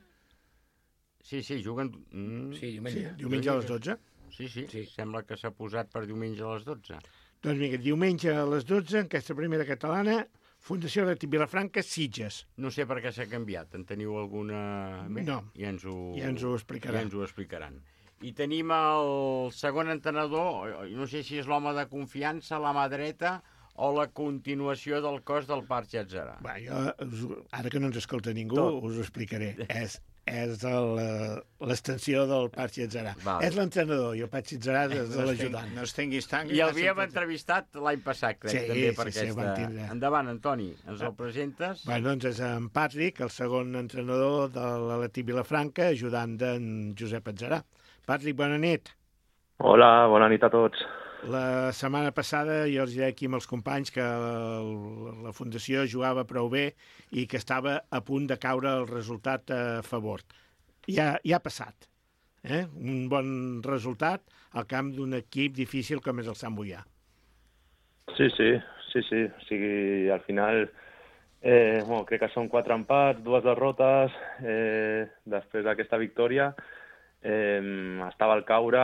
Sí, sí, juguen... Mm. Sí, diumenge. Sí, diumenge a les dotze. Sí, sí, sí, sembla que s'ha posat per diumenge a les dotze. Doncs mira, diumenge a les dotze, en aquesta primera catalana, Fundació Atlètic Vilafranca, Sitges. No sé per què s'ha canviat. En teniu alguna... No, ja ens ho, ja ens ho explicaran. Ja ens ho explicaran. I tenim el segon entrenador, no sé si és l'home de confiança, la mà dreta, o la continuació del cos del Parc Llatzerà? Va, jo, ara que no ens escolta ningú, Tot. us ho explicaré. És, és l'extensió del Parc Llatzerà. Vale. És l'entrenador i el Parc Llatzerà és no l'ajudant. No es tinguis tant... I l'havíem entrevistat l'any passat, crec, sí, també, per sí, aquesta... Sí, endavant, Antoni, ens el presentes? Bé, doncs és en Patrick, el segon entrenador de l'Atlètic Vilafranca, ajudant d'en Josep Atzerà. Patrick, bona nit. Hola, bona nit a tots. La setmana passada jo els deia aquí amb els companys que la, la Fundació jugava prou bé i que estava a punt de caure el resultat a favor. Ja, ja ha passat. Eh? Un bon resultat al camp d'un equip difícil com és el Sant Boià. Sí, sí, sí, sí. O sigui, al final eh, bueno, crec que són quatre empats, dues derrotes, eh, després d'aquesta victòria. Eh, estava al caure,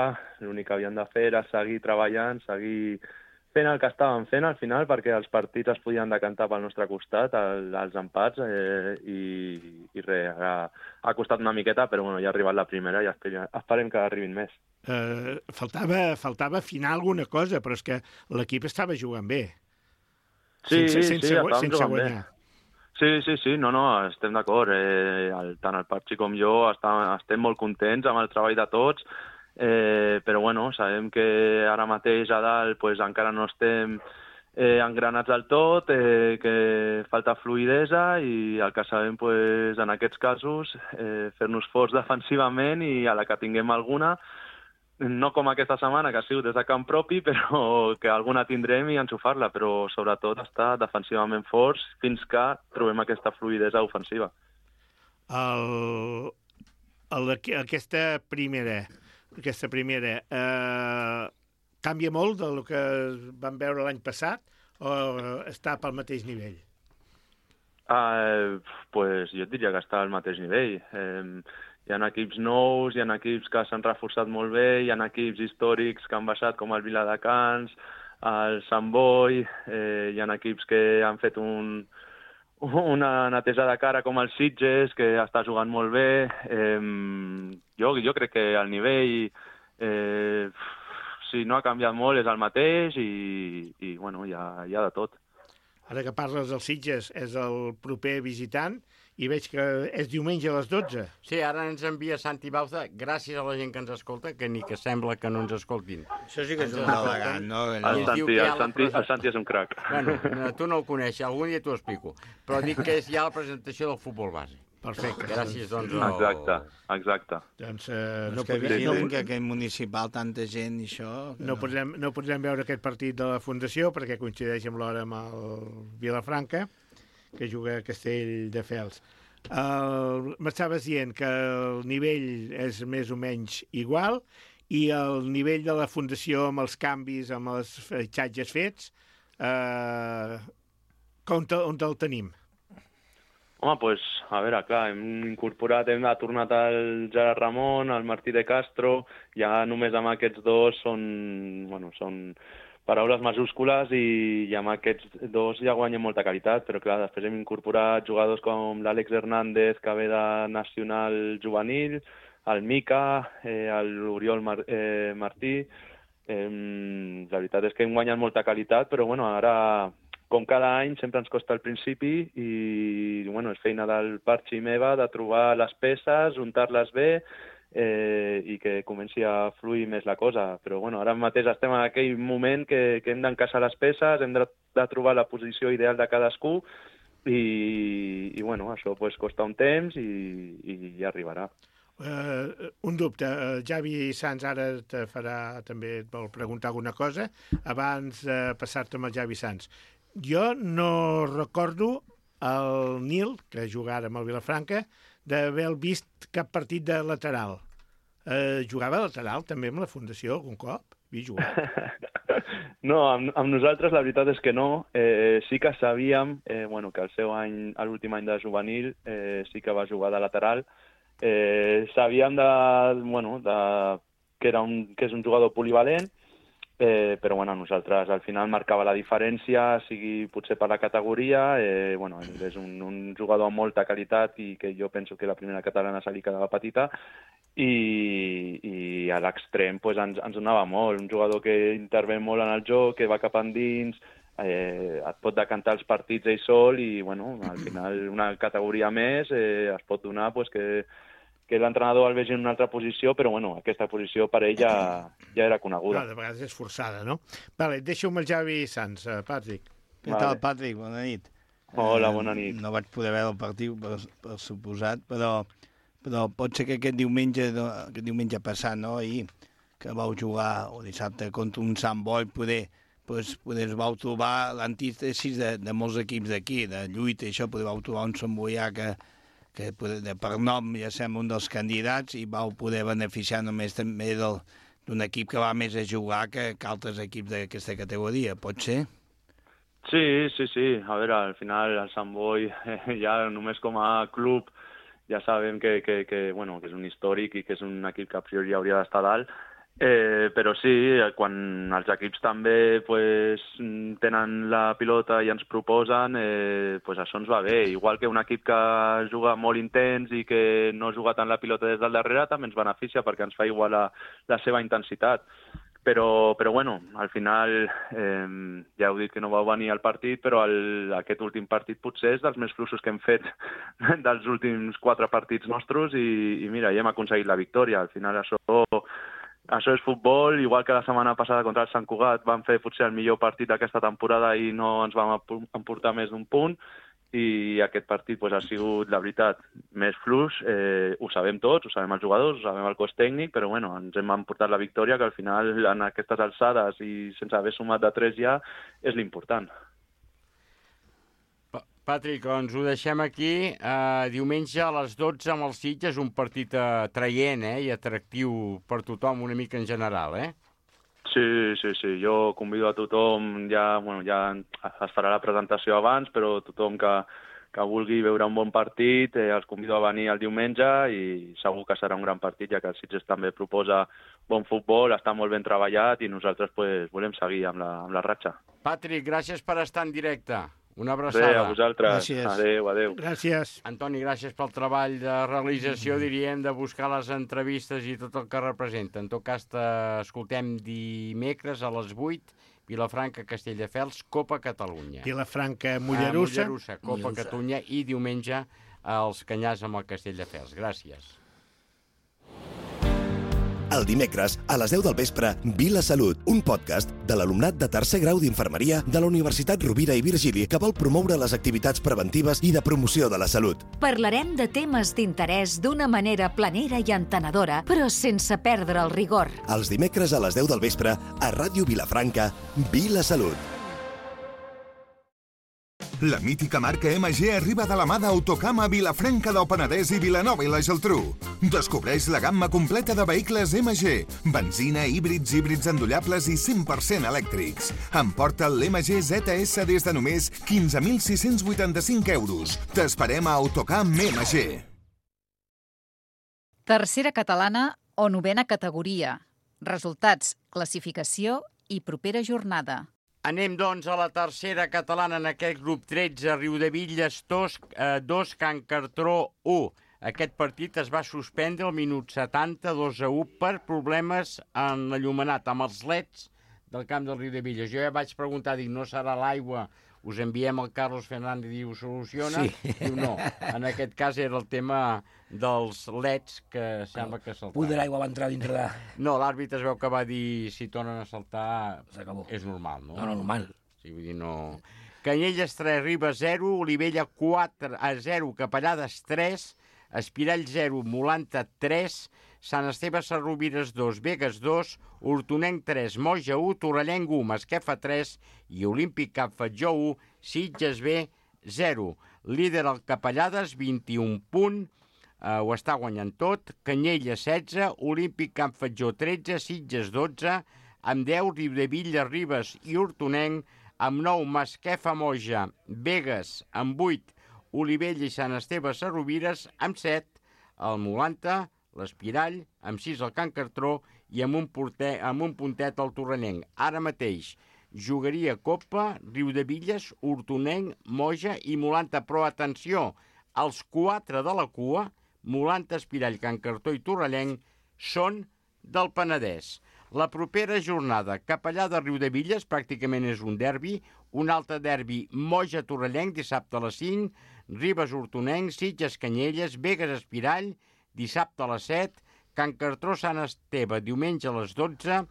l'únic que havien de fer era seguir treballant, seguir fent el que estàvem fent al final, perquè els partits es podien decantar pel nostre costat, el, els empats, eh, i, i res, ha, ha costat una miqueta, però bueno, ja ha arribat la primera i esperem, esperem que arribin més. eh, faltava, faltava afinar alguna cosa, però és que l'equip estava jugant bé. Sí, sense, sí, sense, sí, estàvem sense jugant guanyar. bé. Sí, sí, sí, no, no, estem d'acord. Eh, el, tant el Patxi com jo estem, estem molt contents amb el treball de tots, eh, però bueno, sabem que ara mateix a dalt pues, encara no estem eh, engranats del tot, eh, que falta fluidesa i el que sabem pues, en aquests casos eh, fer-nos forts defensivament i a la que tinguem alguna, no com aquesta setmana, que ha sigut des de camp propi, però que alguna tindrem i enxufar-la, però sobretot estar defensivament forts fins que trobem aquesta fluidesa ofensiva. El, el, aquesta primera, aquesta primera eh, canvia molt del que vam veure l'any passat o està pel mateix nivell? Uh, pues jo et diria que està al mateix nivell. Eh, Hi ha equips nous, hi ha equips que s'han reforçat molt bé, hi ha equips històrics que han baixat com el Viladecans, el Sant Boi, eh, hi ha equips que han fet un, una netesa de cara com el Sitges, que està jugant molt bé. Eh, jo, jo crec que el nivell, eh, si no ha canviat molt, és el mateix i, i bueno, hi ha, hi ha de tot. Ara que parles del Sitges, és el proper visitant i veig que és diumenge a les dotze. Sí, ara ens envia Santi Bauza, gràcies a la gent que ens escolta, que ni que sembla que no ens escoltin. Això sí que és un elegant, no? El Santi, el, Santi, el Santi és un crac. Bueno, tu no el coneixes, algun dia t'ho explico, però dic que és ja la presentació del futbol base. Perfecte. Gràcies, doncs. Exacte, exacte. Doncs eh, no que vigilen que aquell municipal, tanta gent i això... No, no. Podrem, no podrem veure aquest partit de la Fundació perquè coincideix amb l'hora amb el Vilafranca, que juga a Castelldefels. M'estaves dient que el nivell és més o menys igual i el nivell de la Fundació amb els canvis, amb els fitxatges fets, eh, on, te, on el tenim? Home, doncs, pues, a veure, clar, hem incorporat, hem tornat el Gerard Ramon, el Martí de Castro, ja només amb aquests dos són, bueno, són paraules majúscules i, i amb aquests dos ja guanyen molta qualitat, però clar, després hem incorporat jugadors com l'Àlex Hernández, que ve de Nacional Juvenil, el Mica, eh, l'Oriol Mar eh, Martí. Eh, la veritat és que hem guanyat molta qualitat, però bueno, ara, com cada any, sempre ens costa al principi i bueno, és feina del Parchi i meva de trobar les peces, untar-les bé, Eh, i que comenci a fluir més la cosa. Però bueno, ara mateix estem en aquell moment que, que hem d'encaixar les peces, hem de, de trobar la posició ideal de cadascú i, i bueno, això pues, costa un temps i, i ja arribarà. Uh, un dubte, uh, Javi Sans ara te farà, també et vol preguntar alguna cosa abans de passar-te amb el Javi Sans. Jo no recordo el Nil, que juga ara amb el Vilafranca, d'haver vist cap partit de lateral. Eh, jugava lateral també amb la Fundació algun cop? Vi jugar? No, amb, amb nosaltres la veritat és que no. Eh, sí que sabíem eh, bueno, que el seu any, l'últim any de juvenil, eh, sí que va jugar de lateral. Eh, sabíem de, bueno, de, que, era un, que és un jugador polivalent, Eh, però bueno, nosaltres al final marcava la diferència, sigui potser per la categoria, eh, bueno, és un, un jugador amb molta qualitat i que jo penso que la primera catalana se li quedava petita i, i a l'extrem pues, ens, ens donava molt, un jugador que intervé molt en el joc, que va cap endins, eh, et pot decantar els partits ell sol i bueno, al final una categoria més eh, es pot donar pues, que que l'entrenador el vegi en una altra posició, però bueno, aquesta posició per ell ja, ja era coneguda. No, de vegades és forçada, no? Vale, deixa'm el Javi Sans, uh, Patrick. Què vale. tal, Patrick? Bona nit. Hola, bona nit. Eh, no vaig poder veure el partit, per, per suposat, però, però pot ser que aquest diumenge, aquest diumenge passat, no, ahir, que vau jugar, o dissabte, contra un Sant Boi, poder, pues, poder vau trobar l'antítesis de, de molts equips d'aquí, de lluita i això, poder vau trobar un Sant Boià que que de per nom ja som un dels candidats i vau poder beneficiar només també d'un equip que va més a jugar que, que altres equips d'aquesta categoria, pot ser? Sí, sí, sí. A veure, al final el Sant Boi eh, ja només com a club ja sabem que, que, que, bueno, que és un històric i que és un equip que a priori hauria d'estar dalt Eh, però sí, quan els equips també pues, tenen la pilota i ens proposen, eh, pues això ens va bé. Igual que un equip que juga molt intens i que no juga tant la pilota des del darrere també ens beneficia perquè ens fa igual la, la seva intensitat. Però, però bueno, al final eh, ja heu dit que no vau venir al partit, però el, aquest últim partit potser és dels més fluixos que hem fet dels últims quatre partits nostres i, i mira, ja hem aconseguit la victòria. Al final això, això és futbol, igual que la setmana passada contra el Sant Cugat vam fer potser el millor partit d'aquesta temporada i no ens vam emportar més d'un punt, i aquest partit pues, ha sigut, la veritat, més fluix. Eh, ho sabem tots, ho sabem els jugadors, ho sabem el cos tècnic, però bueno, ens hem emportat la victòria, que al final, en aquestes alçades i sense haver sumat de tres ja, és l'important. Patrick, doncs ho deixem aquí. Uh, diumenge a les dotze amb el Sitges, un partit atraient eh, i atractiu per tothom, una mica en general, eh? Sí, sí, sí. Jo convido a tothom, ja, bueno, ja es farà la presentació abans, però tothom que, que vulgui veure un bon partit, eh, els convido a venir el diumenge i segur que serà un gran partit, ja que el Sitges també proposa bon futbol, està molt ben treballat i nosaltres pues, volem seguir amb la, amb la ratxa. Patrick, gràcies per estar en directe. Una abraçada. Bé, a vosaltres. Gràcies. Adéu, adéu. Gràcies. Antoni, gràcies pel treball de realització, diríem, de buscar les entrevistes i tot el que representa. En tot cas, t'escoltem dimecres a les vuit, Vilafranca, Castelldefels, Copa Catalunya. Vilafranca, Mollerussa. Ah, Mollerussa, Copa Mollerussa. Catalunya, i diumenge als Canyars amb el Castelldefels. Gràcies. El dimecres, a les deu del vespre, Vila Salut, un podcast de l'alumnat de tercer grau d'Infermeria de la Universitat Rovira i Virgili que vol promoure les activitats preventives i de promoció de la salut. Parlarem de temes d'interès d'una manera planera i entenedora, però sense perdre el rigor. Els dimecres a les deu del vespre, a Ràdio Vilafranca, Vila Salut. La mítica marca M G arriba de la mà d'Autocam a Vilafranca del Penedès i Vilanova i la Geltrú. Descobreix la gamma completa de vehicles M G, benzina, híbrids, híbrids endollables i cent per cent elèctrics. Emporta l'M G Z S des de només quinze mil sis-cents vuitanta-cinc euros. T'esperem a Autocam M G. Tercera catalana o novena categoria. Resultats, classificació i propera jornada. Anem, doncs, a la tercera catalana en aquest grup tretze, Riudebitlles dos, eh, dos Can Cartró u. Aquest partit es va suspendre al minut setanta, dos a u, per problemes en l'enllumenat, amb els leds del camp del Riudebitlles. Jo ja vaig preguntar, dic, no serà l'aigua? Us enviem el Carlos Fernández i ho soluciona? Sí. Diu, no, en aquest cas era el tema dels leds que sembla que saltaven. Punt de l'aigua va entrar dintre de... No, l'àrbitre es veu que va dir si tornen a saltar és normal, no? No, no, normal. Sí, vull dir, no... Canyelles tres, Ribes zero, Olivella quatre a zero, Capellades tres, Espirall zero, Molanta tres, Sant Esteve Sarrovires dos, Begues dos, Hortonenc tres, Moja u, Torrellenc u, Masquefa tres i Olímpic Cap Fatjó u, Sitges B zero. Líder el Capellades, vint-i-un punt, eh, ho està guanyant tot, Canyelles setze, Olímpic Cap Fatjó tretze, Sitges dotze, amb deu, Riudebitlles, Ribes i Hortonenc, amb nou, Masquefa Moja, Begues amb vuit, Olivella i Sant Esteve Sarrovires amb set, el Molanta, l'Espirall, amb sis el Can Cartró i amb un, porter, amb un puntet el Torrellenc. Ara mateix jugaria Copa, Riudebitlles, Hortonenc, Moja i Molanta. Però atenció, els quatre de la cua, Molanta, Espirall, Can Cartró i Torrellenc, són del Penedès. La propera jornada, Capellà de Riudebitlles, pràcticament és un derbi, un altre derbi, Moja-Torrellenc, dissabte a les cinc, Ribes-Hortonenc, Sitges-Canyelles, Begues-Espirall, dissabte a les set, Can Cartró-Sant Esteve, diumenge a les dotze,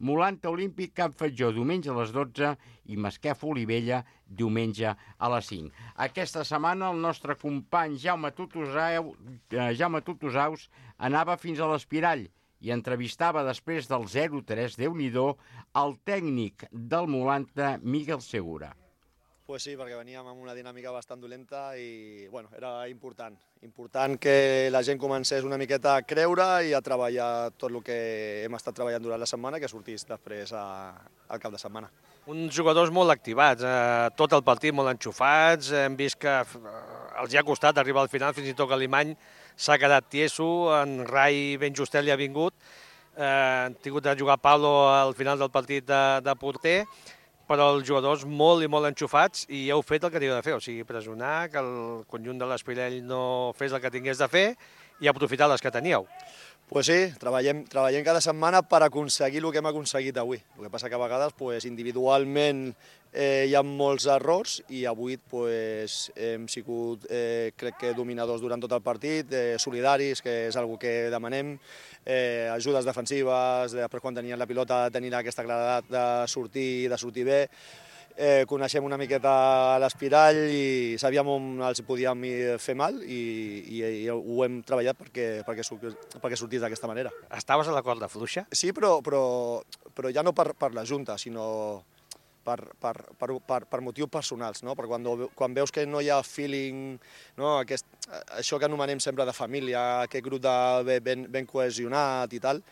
Molanta-Olímpic, Cap Fatjó, diumenge a les dotze, i Masquefa-Olivella, diumenge a les cinc. Aquesta setmana el nostre company Jaume Tutosau, eh, Jaume Tutosaus anava fins a l'Espirall i entrevistava després del zero tres, Déu-n'hi-do, el tècnic del Molanta, Miguel Segura. Pues sí, perquè veníem amb una dinàmica bastant dolenta i bueno, era important. Important que la gent comencés una miqueta a creure i a treballar tot el que hem estat treballant durant la setmana, que sortís després a, al cap de setmana. Uns jugadors molt activats, eh, tot el partit molt enxufats, hem vist que els hi ha costat arribar al final, fins i tot que l'Alemany s'ha quedat tieso, en Rai ben justet li ha vingut, han tingut de jugar Pablo al final del partit de, de porter, però els jugadors molt i molt enxufats i heu fet el que havíeu de fer, o sigui, pressionar, que el conjunt de l'Espirell no fes el que tingués de fer i aprofitar les que teníeu. Pues sí, treballem, treballem cada setmana per aconseguir el que hem aconseguit avui. El que passa que a vegades pues, individualment eh, hi ha molts errors i avui pues, hem sigut, eh, crec que, dominadors durant tot el partit, eh, solidaris, que és una que demanem, eh, ajudes defensives, després quan tenien la pilota tenir aquesta claredat de sortir, de sortir bé. Eh, coneixem una miqueta l'Espirall i sabíem on els podíem fer mal i, i, i ho hem treballat perquè, perquè, perquè sortís d'aquesta manera. Estaves a la corda fluixa? Sí, però, però, però ja no per, per la Junta, sinó per, per, per, per, per motius personals, no? Perquè quan, quan veus que no hi ha feeling, no? Aquest, això que anomenem sempre de família, aquest grup de ben, ben cohesionat i tal,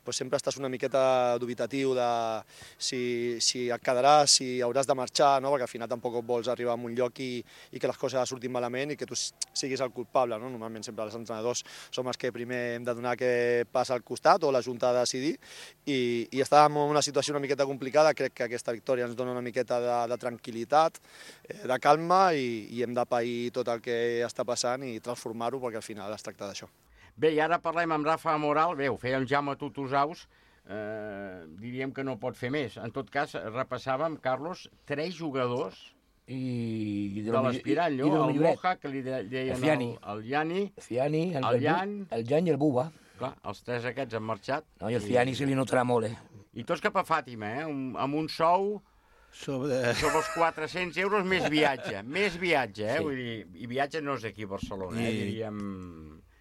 pues sempre estàs una miqueta dubitatiu de si, si et quedaràs, si hauràs de marxar, no? Perquè al final tampoc vols arribar a un lloc i, i que les coses surtin malament i que tu siguis el culpable. No? Normalment sempre els entrenadors som els que primer hem de donar que passa al costat o la Junta ha de decidir i, i estàvem en una situació una miqueta complicada. Crec que aquesta victòria ens dona una miqueta de, de tranquil·litat, de calma i, i hem de pair tot el que està passant i transformar-ho perquè al final es tracta d'això. Bé, i ara parlem amb Rafa Moral. Bé, ho feia en Jaume Tutusaus, eh, diríem que no pot fer més. En tot cas, repassàvem, Carlos, tres jugadors I, i de, de l'Espirall, no? El Moja, que li deien el, el Iani, Fiani, el, el Jan, el Jan i el Buba. Clar, els tres aquests han marxat. No, i el Fiani se li notarà molt, eh? I tots cap a Fàtima, eh? Un, amb un sou sobre... sobre els quatre-cents euros més viatge. Més viatge, eh? Sí. Vull dir, i viatge no és aquí a Barcelona, I... eh? Diríem...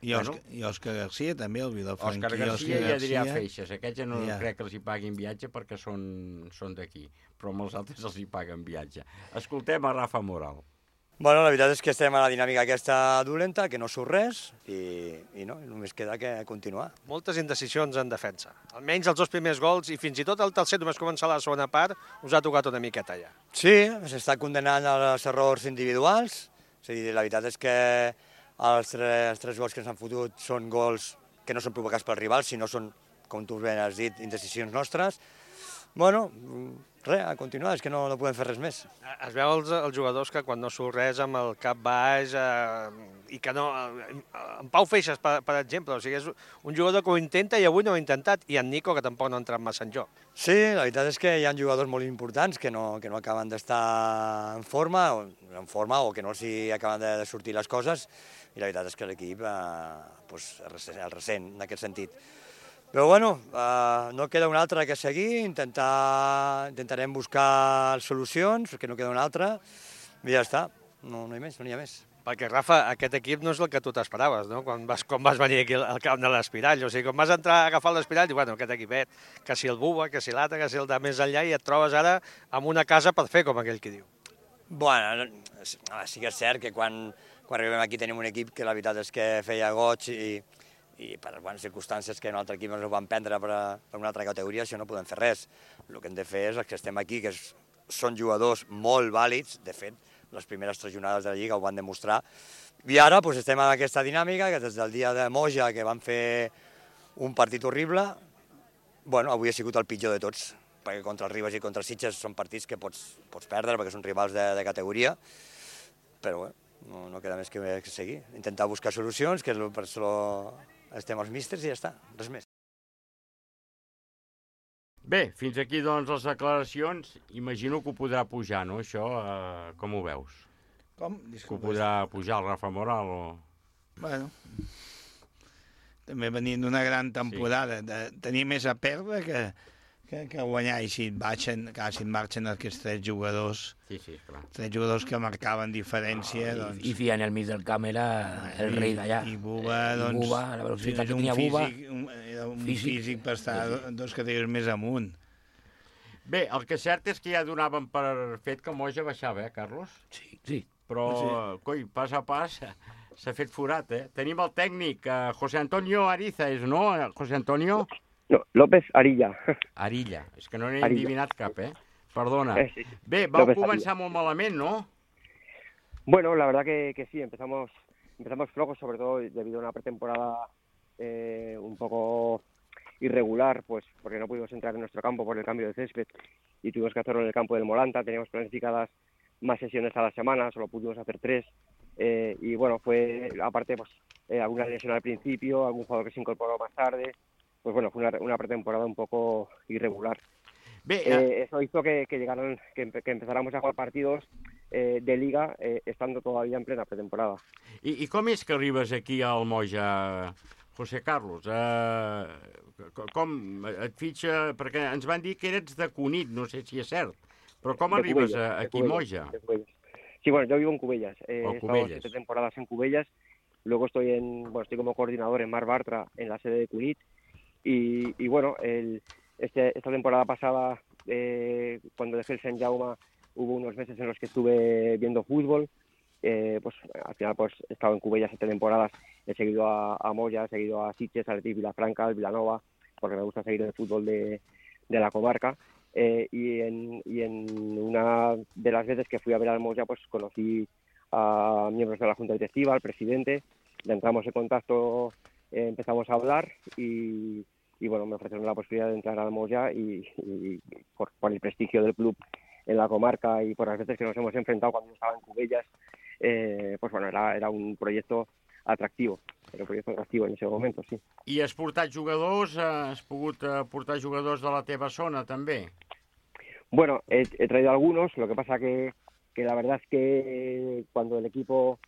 I Òscar, bueno, i Òscar Garcia també, el Vilafranquí. Òscar Garcia i Adrià Feixes. Aquests ja no ja. crec que els hi paguin viatge perquè són, són d'aquí, però amb els altres els hi paguen viatge. Escoltem a Rafa Moral. Bueno, la veritat és que estem a la dinàmica aquesta dolenta, que no surt res, i, i no, només queda que continuar. Moltes indecisions en defensa. Almenys els dos primers gols, i fins i tot el tercer, només començar la segona part, us ha tocat una miqueta ja. Sí, s'està condenant als errors individuals. És a dir, la veritat és que els tres, els tres gols que ens han fotut són gols que no són provocats pel rival, sinó són, com tu ben has dit, indecisions nostres. Bueno, res, a continuar, és que no, no podem fer res més. Es veu els, els jugadors que quan no surt res amb el cap baix eh, i que no... Eh, en Pau Feixes, per, per exemple, o sigui, és un jugador que ho intenta i avui no ho ha intentat, i en Nico, que tampoc no ha entrat massa en joc. Sí, la veritat és que hi ha jugadors molt importants que no, que no acaben d'estar en forma, o, en forma o que no els hi acaben de sortir les coses, i la veritat és que l'equip eh, pues, el ressent en aquest sentit. Però bueno, eh, no queda una altra que seguir, intentar, intentarem buscar solucions, que no queda una altra, i ja està, no, no hi ha més, no n'hi ha més. Perquè, Rafa, aquest equip no és el que tu t'esperaves, no? Quan vas, quan vas venir aquí al camp de l'Espirall. O sigui, quan vas entrar a agafar l'Espirall, dius, bueno, aquest equipet, que si el Buba, que si l'altre, que si el de més enllà, i et trobes ara amb una casa per fer, com aquell que diu. Bueno, sí que és cert que quan, quan arribem aquí tenim un equip que la veritat és que feia goig i, i per bones circumstàncies que un altre equip ens ho van prendre per, a, per una altra categoria, això no podem fer res. El que hem de fer és els que estem aquí, que és, són jugadors molt vàlids, de fet, les primeres tres jornades de la Lliga ho van demostrar, i ara doncs, estem en aquesta dinàmica, que des del dia de Moja, que van fer un partit horrible, bueno, avui ha sigut el pitjor de tots, perquè contra el Ribes i contra el Sitges són partits que pots, pots perdre, perquè són rivals de, de categoria, però bueno, no, no queda més que, que seguir, intentar buscar solucions, que és per això estem els místers i ja està, res més. Bé, fins aquí doncs les declaracions. Imagino que ho podrà pujar, no, això? Eh, com ho veus? Com? Disculpa. Que ho podrà pujar el Rafa Moral o... Bueno, també venint d'una gran temporada, sí. de tenir més a perdre que, que, que guanyar, i si et marxen, clar, si et marxen aquests tres jugadors, sí, sí, clar. tres jugadors que marcaven diferència, oh, doncs... I, i Fian al mig del camp era el rei d'allà. I Buba, doncs... I Buba, la velocitat que tenia Buba... Un, era un físic, físic per estar sí. dos categories més amunt. Bé, el que és cert és que ja donaven per fet que Moja baixava, eh, Carlos? Sí, sí. Però, sí. coi, pas a pas s'ha fet forat, eh? Tenim el tècnic, eh, José Antonio Ariza, és, no, José Antonio? No, López Arilla. Arilla, és que no n'he endivinat cap, eh? Perdona. Eh, sí. Bé, vau López començar Arilla. molt malament, ¿no? Bueno, la verdad que, que sí, empezamos, empezamos flojos, sobre todo debido a una pretemporada eh, un poco irregular, pues porque no pudimos entrar en nuestro campo por el cambio de césped y tuvimos que hacerlo en el campo del Moranta. Teníamos planificadas más sesiones a la semana, solo pudimos hacer tres. Eh, y bueno, fue aparte pues eh, alguna lesión al principio, algún jugador que se incorporó más tarde. Pues bueno, fue una, una pretemporada un poco irregular. Bé, eh, eso hizo que, que llegaran, que, que empezáramos a jugar partidos eh, de liga eh, estando todavía en plena pretemporada. I, I com és que arribes aquí al Moja, José Carlos? Uh, com et fitxa... Perquè ens van dir que eres de Cunit, no sé si és cert, però com De arribes Cubelles, a, de aquí a Moja? Cubelles, de Cubelles. Sí, bueno, yo vivo en Cubellas. Eh, Oh, he estado Cubelles. siete temporadas en Cubellas. Luego estoy en, bueno, estoy como coordinador en Mar Bartra, en la sede de Cunit. Y, y bueno, el, este, esta temporada pasada, eh, cuando dejé el Sant Jaume, hubo unos meses en los que estuve viendo fútbol. Eh, pues al final pues he estado en Cubellas siete temporadas. He seguido a, a Moya, he seguido a Sitges, a Athletic Vilafranca, al Vilanova, porque me gusta seguir el fútbol de, de la comarca. Eh, y, en, y en una de las veces que fui a ver al Moya, pues conocí a miembros de la Junta Directiva, al presidente, le entramos en contacto, eh, empezamos a hablar y, y bueno, me ofrecieron la posibilidad de entrar al Moya y, y por, por el prestigio del club en la comarca y por las veces que nos hemos enfrentado cuando yo estaba en Cubellas, eh, pues bueno, era, era un proyecto atractivo, era un proyecto atractivo en ese momento, sí. I has portat jugadors, has pogut eh, portar jugadors de la teva zona, també? Bueno, he, he traído algunos, lo que pasa que, que la verdad es que cuando el equipo,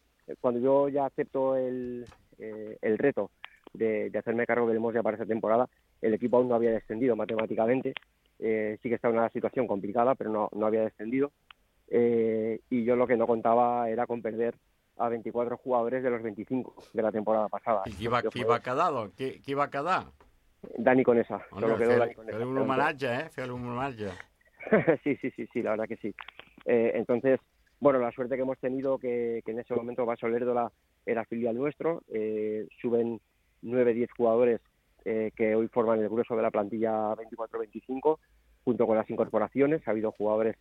cuando yo ya acepto el, eh, el reto de, de hacerme cargo del Moja para esta temporada, el equipo aún no había descendido matemáticamente, eh, sí que estaba en una situación complicada, pero no, no había descendido, eh, y yo lo que no contaba era con perder a veinticuatro jugadores de los veinticinco de la temporada pasada. I qui va, qui va quedar, doncs? Qui, qui va quedar? Dani Conesa, Home, solo quedó fer, Dani Conesa. fer un homenatge, eh? Fer un homenatge. sí, sí, sí, sí, la verdad que sí. Eh, entonces, bueno, la suerte que hemos tenido que, que en ese momento Vaso Lerdola era filial nuestro, eh, suben nueve diez jugadores eh, que hoy forman el grueso de la plantilla veinticuatro veinticinco, junto con las incorporaciones. Ha habido jugadores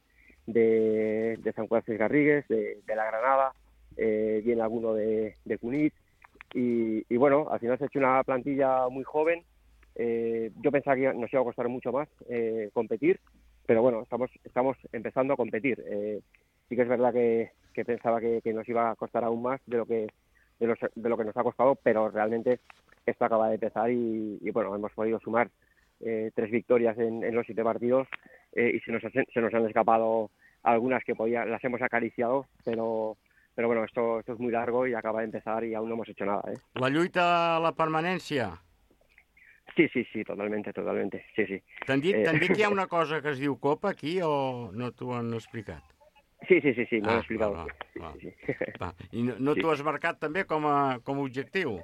de, de San Juan Garrigues, de, de La Granada, eh, viene alguno de, de Cunit, y, y bueno, al final se ha hecho una plantilla muy joven. Eh, yo pensaba que nos iba a costar mucho más eh, competir, pero bueno, estamos estamos empezando a competir. Eh, sí que es verdad que, que pensaba que, que nos iba a costar aún más de lo que de, los, de lo que nos ha costado, pero realmente esto acaba de empezar y, y bueno, hemos podido sumar eh, tres victorias en, en los siete partidos eh, y se nos, se nos han escapado algunas que podía, las hemos acariciado, pero pero bueno, esto, esto es muy largo y acaba de empezar y aún no hemos hecho nada. ¿eh? La lluita a la permanència? Sí, sí, sí, totalmente, totalmente, sí, sí. T'han dit, Eh... t'han dit que hi ha una cosa que es diu Copa aquí o no t'ho han explicat? Sí, sí, sí, sí, me ah, lo he explicado. Va, va, sí, sí, sí. va. I no, no sí. t'ho has marcat també com a, com a objectiu?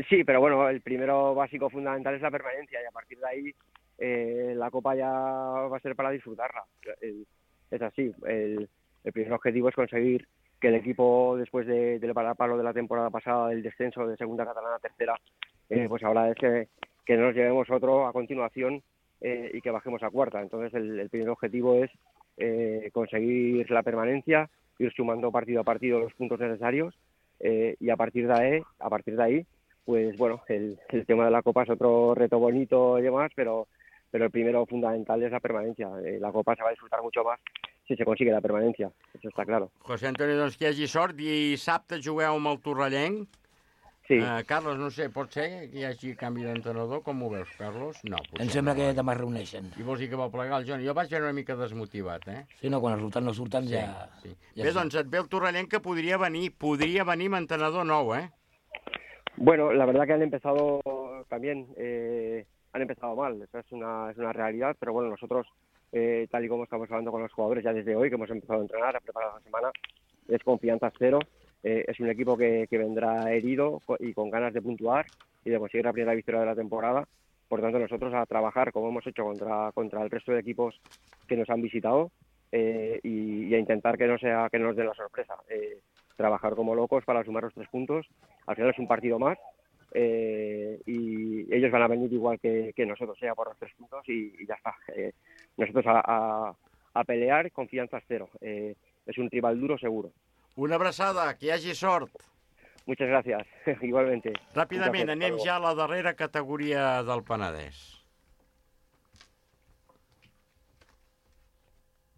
Sí, pero bueno, el primero básico fundamental es la permanencia y a partir de ahí eh, la Copa ya va a ser para disfrutarla. El, es así, el, el primer objetivo es conseguir que el equipo, después de, del parapalo de la temporada pasada, del descenso de segunda catalana a tercera, eh, pues ahora es que, que nos llevemos otro a continuación eh, y que bajemos a cuarta. Entonces el, el primer objetivo es eh, conseguir la permanencia, ir sumando partido a partido los puntos necesarios eh, y a partir de ahí, a partir de ahí pues bueno, el, el tema de la Copa es otro reto bonito y demás, pero, pero el primero fundamental es la permanencia. Eh, la Copa se va a disfrutar mucho más si se consigue la permanencia, eso está claro. José Antonio, doncs que hi hagi sort. Dissabte jugueu amb el Torrellenc. Sí. Uh, Carlos, no sé, pot ser que hi hagi canvi d'entrenador? Com ho veus, Carlos? No, em sembla no, que demà es reuneixen. I vols dir que va plegar el Johnny? Jo vaig veure una mica desmotivat, eh? Sí, no, quan els resultats no surten sí, ja... Sí. ja Bé, doncs et ve el Torrellenc que podria venir, podria venir amb entrenador nou, eh? Bueno, la verdad que han empezado también, eh, han empezado mal, eso es una, es una realidad, pero bueno, nosotros, eh, tal y como estamos hablando con los jugadores ya desde hoy, que hemos empezado a entrenar, a preparar la semana, es confianza cero, eh, es un equipo que, que vendrá herido y con ganas de puntuar y de conseguir la primera victoria de la temporada. Por tanto, nosotros a trabajar, como hemos hecho contra, contra el resto de equipos que nos han visitado, eh, y, y a intentar que no sea que no nos den la sorpresa. Eh, trabajar como locos para sumar los tres puntos. Al final es un partido más eh, y ellos van a venir igual que, que nosotros, sea por los tres puntos y, y ya está. Eh, nosotros a, a, a pelear, confianza cero. Eh, es un rival duro seguro. Una abraçada, que hi hagi sort. Muchas gracias, igualmente. Ràpidament, anem ja a la darrera categoria del Penedès.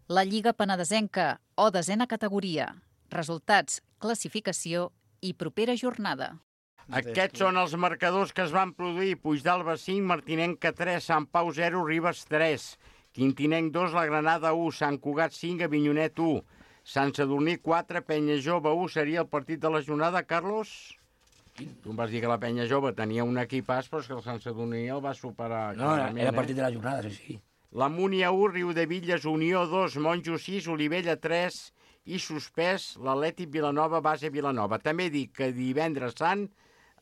La Lliga Penedesenca, o desena categoria. Resultats, classificació i propera jornada. Aquests són els marcadors que es van produir. Puigdàlber cinc, Martinenca tres, Sant Pau zero, Ribes tres, Quintinenc dos, La Granada u, Sant Cugat cinc, Avinyonet u, Sant Sadurní quatre, Penya Jove u. Seria el partit de la jornada, Carlos? Tu em vas dir que la Penya Jove tenia un equipàs, però és que el Sant Sadurní el va superar. No, era partit de la jornada, sí, sí. La Múnia u, Riudevilles, Unió dos, Monjo sis, Olivella tres i suspès l'Atlètic Vilanova, base Vilanova. També dic que divendres sant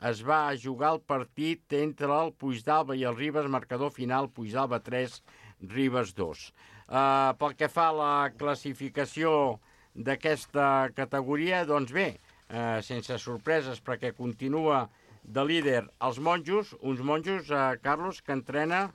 es va jugar el partit entre el Puigdàlber i el Ribes, marcador final, Puigdàlber tres, Ribes dos. Uh, pel que fa a la classificació d'aquesta categoria, doncs bé, uh, sense sorpreses, perquè continua de líder els monjos, uns monjos, uh, Carlos, que entrena,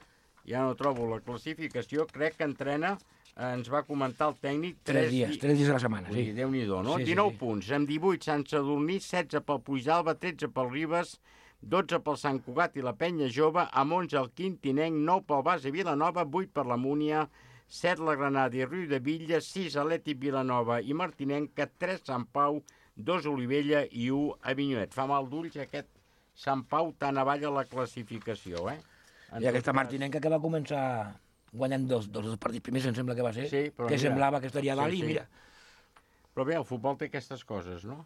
ja no trobo la classificació, crec que entrena, uh, ens va comentar el tècnic... Tres dies, tres dies a la setmana, sí. Déu-n'hi-do, no? Sí, sí, dinou sí. punts, amb divuit Sant Sadurní, setze pel Puigdàlber, tretze pel Ribes, dotze pel Sant Cugat i la Penya Jove, amb onze el Quintinenc, nou pel base Vilanova, vuit per la Múnia, set la Granada i Riudevilles, sis Atlètic Vilanova i Martinenca, tres Sant Pau, dos Olivella i u Avinyonet. Fa mal d'ulls aquest Sant Pau tan avall a la classificació, eh? I aquesta Martinenca que va començar guanyant dos, dos, dos partits primers, em sembla que va ser, sí, però que mira, semblava que estaria dalt sí, i mira. Però bé, el futbol té aquestes coses, no?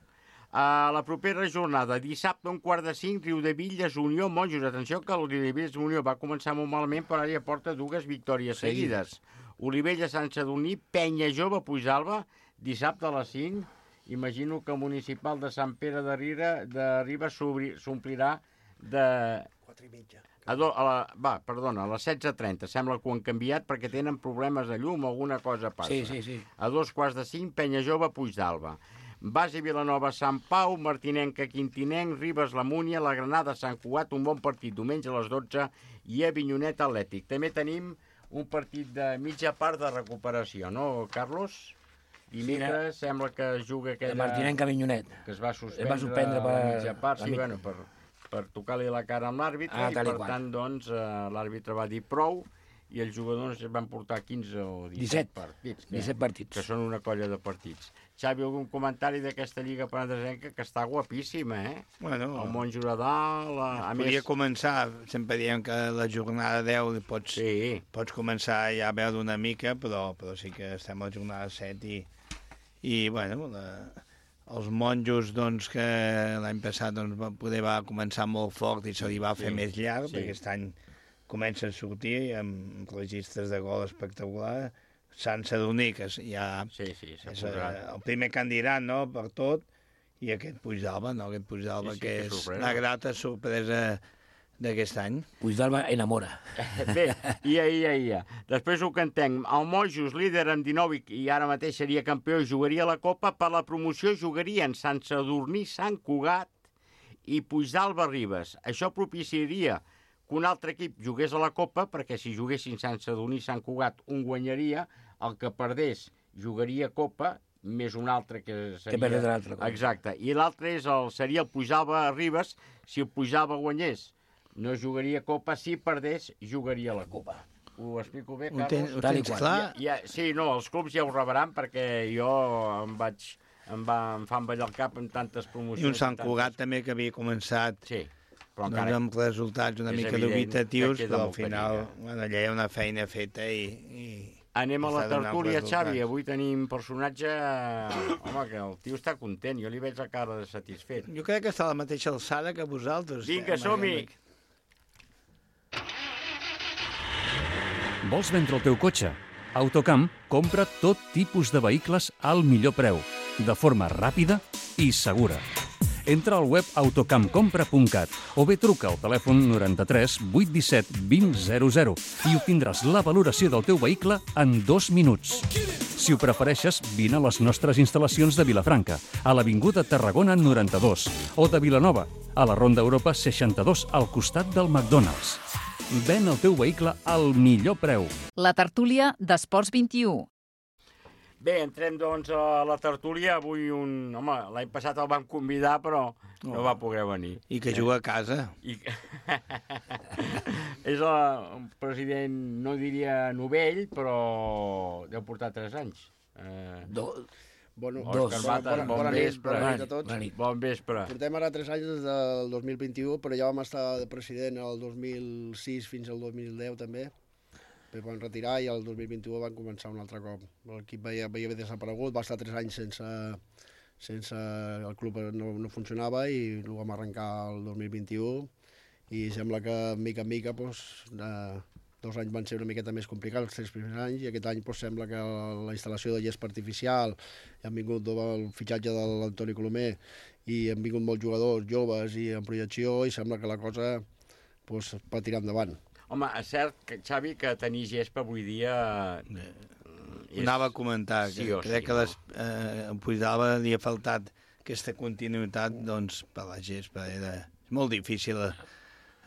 A la propera jornada, dissabte, un quart de cinc, Riudevilles, Unió, Monjos. Atenció que el Riudevilles Unió va començar molt malament, però ara ja porta dues victòries sí. seguides. Olivella, Sant Sadurní, Penya Jove, Puigdàlber, dissabte a les cinc. Imagino que el municipal de Sant Pere de Riba, de Riba s'omplirà de... quatre i mitja. A do, a la, va, perdona, a les setze trenta. Sembla que ho han canviat perquè tenen problemes de llum o alguna cosa passa. Sí, sí, sí. A dos quarts de cinc, Penya Jove, Puigdàlber. Base Vilanova, Sant Pau, Martinenca, Quintinenc, Ribes, la Múnia, la Granada, Sant Cugat, un bon partit diumenge a les dotze i Avinyonet Atlètic. També tenim un partit de mitja part de recuperació, no, Carlos? Dimecres sí, sembla que es juga aquella... Martinenca, Avinyonet. Que es va suspendre, va suspendre per... la mitja part, sí, bueno, per, per tocar-li la cara amb l'àrbitre, ah, i per tant, doncs, l'àrbitre va dir prou, i els jugadors van portar quinze o disset partits. disset partits. Que són una colla de partits. Xavi, algun comentari d'aquesta Lliga Penedesenca que està guapíssima, eh? Bueno, el Montjuïc a dalt... La... A podria més... començar, sempre diem que la jornada deu pots, sí. pots començar ja a veure una mica, però, però sí que estem a la jornada set i, i bueno, la, els monjos doncs, que l'any passat doncs, va, poder va començar molt fort i se li va fer sí. més llarg, sí. perquè aquest any comença a sortir amb registres de gol espectacular. Sant Sadurní, que ja sí, sí, és el primer candidat, no?, per tot, i aquest Puigdàlber, no?, aquest Puigdàlber, sí, sí, que, que és sorpresa. La grata sorpresa d'aquest any. Puigdàlber enamora. Bé, ia, ia, ia. Després ho cantem. El Monjos, líder amb dinou i ara mateix seria campió, jugaria la Copa. Per la promoció jugarien Sant Sadurní, Sant Cugat i Puigdàlber Ribes. Això propiciaria que un altre equip jugués a la Copa, perquè si juguessin Sant Sadurní i Sant Cugat, un guanyaria, el que perdés jugaria Copa, més un altre que seria... Que perdés l'altre. Exacte. I l'altre és el, seria el Puigdàlber Ribes. Si el Puigdàlber guanyés, no jugaria Copa. Si perdés, jugaria la Copa. Ho explico bé, Carlos? Ho tens, ho tens clar? Ja, ja, sí, no, els clubs ja ho rebran, perquè jo em vaig... Em, va, em fan ballar el cap amb tantes promocions. I un Sant Cugat tantes... també que havia començat... Sí. Però doncs amb resultats una mica dubitatius, però al final bueno, allà hi ha una feina feta i... i anem a la tertúlia, Xavi. Avui tenim personatge... Home, que el tio està content. Jo li veig la cara de satisfet. Jo crec que està a la mateixa alçada que vosaltres. Vinga, som-hi! Vols vendre el teu cotxe? Autocamp compra tot tipus de vehicles al millor preu, de forma ràpida i segura. Entra al web autocamp compra punt cat o bé truca al telèfon noranta-tres vuit disset vint zero zero i obtindràs la valoració del teu vehicle en dos minuts. Si ho prefereixes, vine a les nostres instal·lacions de Vilafranca, a l'Avinguda Tarragona noranta-dos, o de Vilanova, a la Ronda Europa seixanta-dos, al costat del McDonald's. Ven el teu vehicle al millor preu. La tertúlia d'Esports vint i u. Bé, entrem doncs a la tertúlia. Avui un... Home, l'any passat el vam convidar, però no, no va poder venir. I que juga a casa. I... És el president, no diria novell, però deu portar tres anys. Eh... Do... Bueno, Dos. Òscar Matas, bon bona vespre. Bona nit a tots. Bona nit. Bon vespre. Portem ara tres anys des del dos mil vint-i-u, però ja vam estar de president el dos mil sis fins al dos mil deu també. Després van retirar i el dos mil vint-i-u van començar un altre cop. L'equip havia, havia desaparegut, va estar tres anys sense... sense el club no, no funcionava i el vam arrencar el dos mil vint-i-u i sembla que mica en mica doncs, eh, dos anys van ser una miqueta més complicats, els tres primers anys, i aquest any doncs, sembla que la instal·lació de gespa artificial, han vingut el fitxatge de l'Antoni Colomer i han vingut molts jugadors joves i en projecció i sembla que la cosa doncs, va tirar endavant. Home, és cert, que, Xavi, que tenir gespa avui dia... És... Anava a comentar, que sí crec sí, que les, eh, en Puigdàlber li ha faltat aquesta continuïtat doncs, per la gespa. Era molt difícil eh,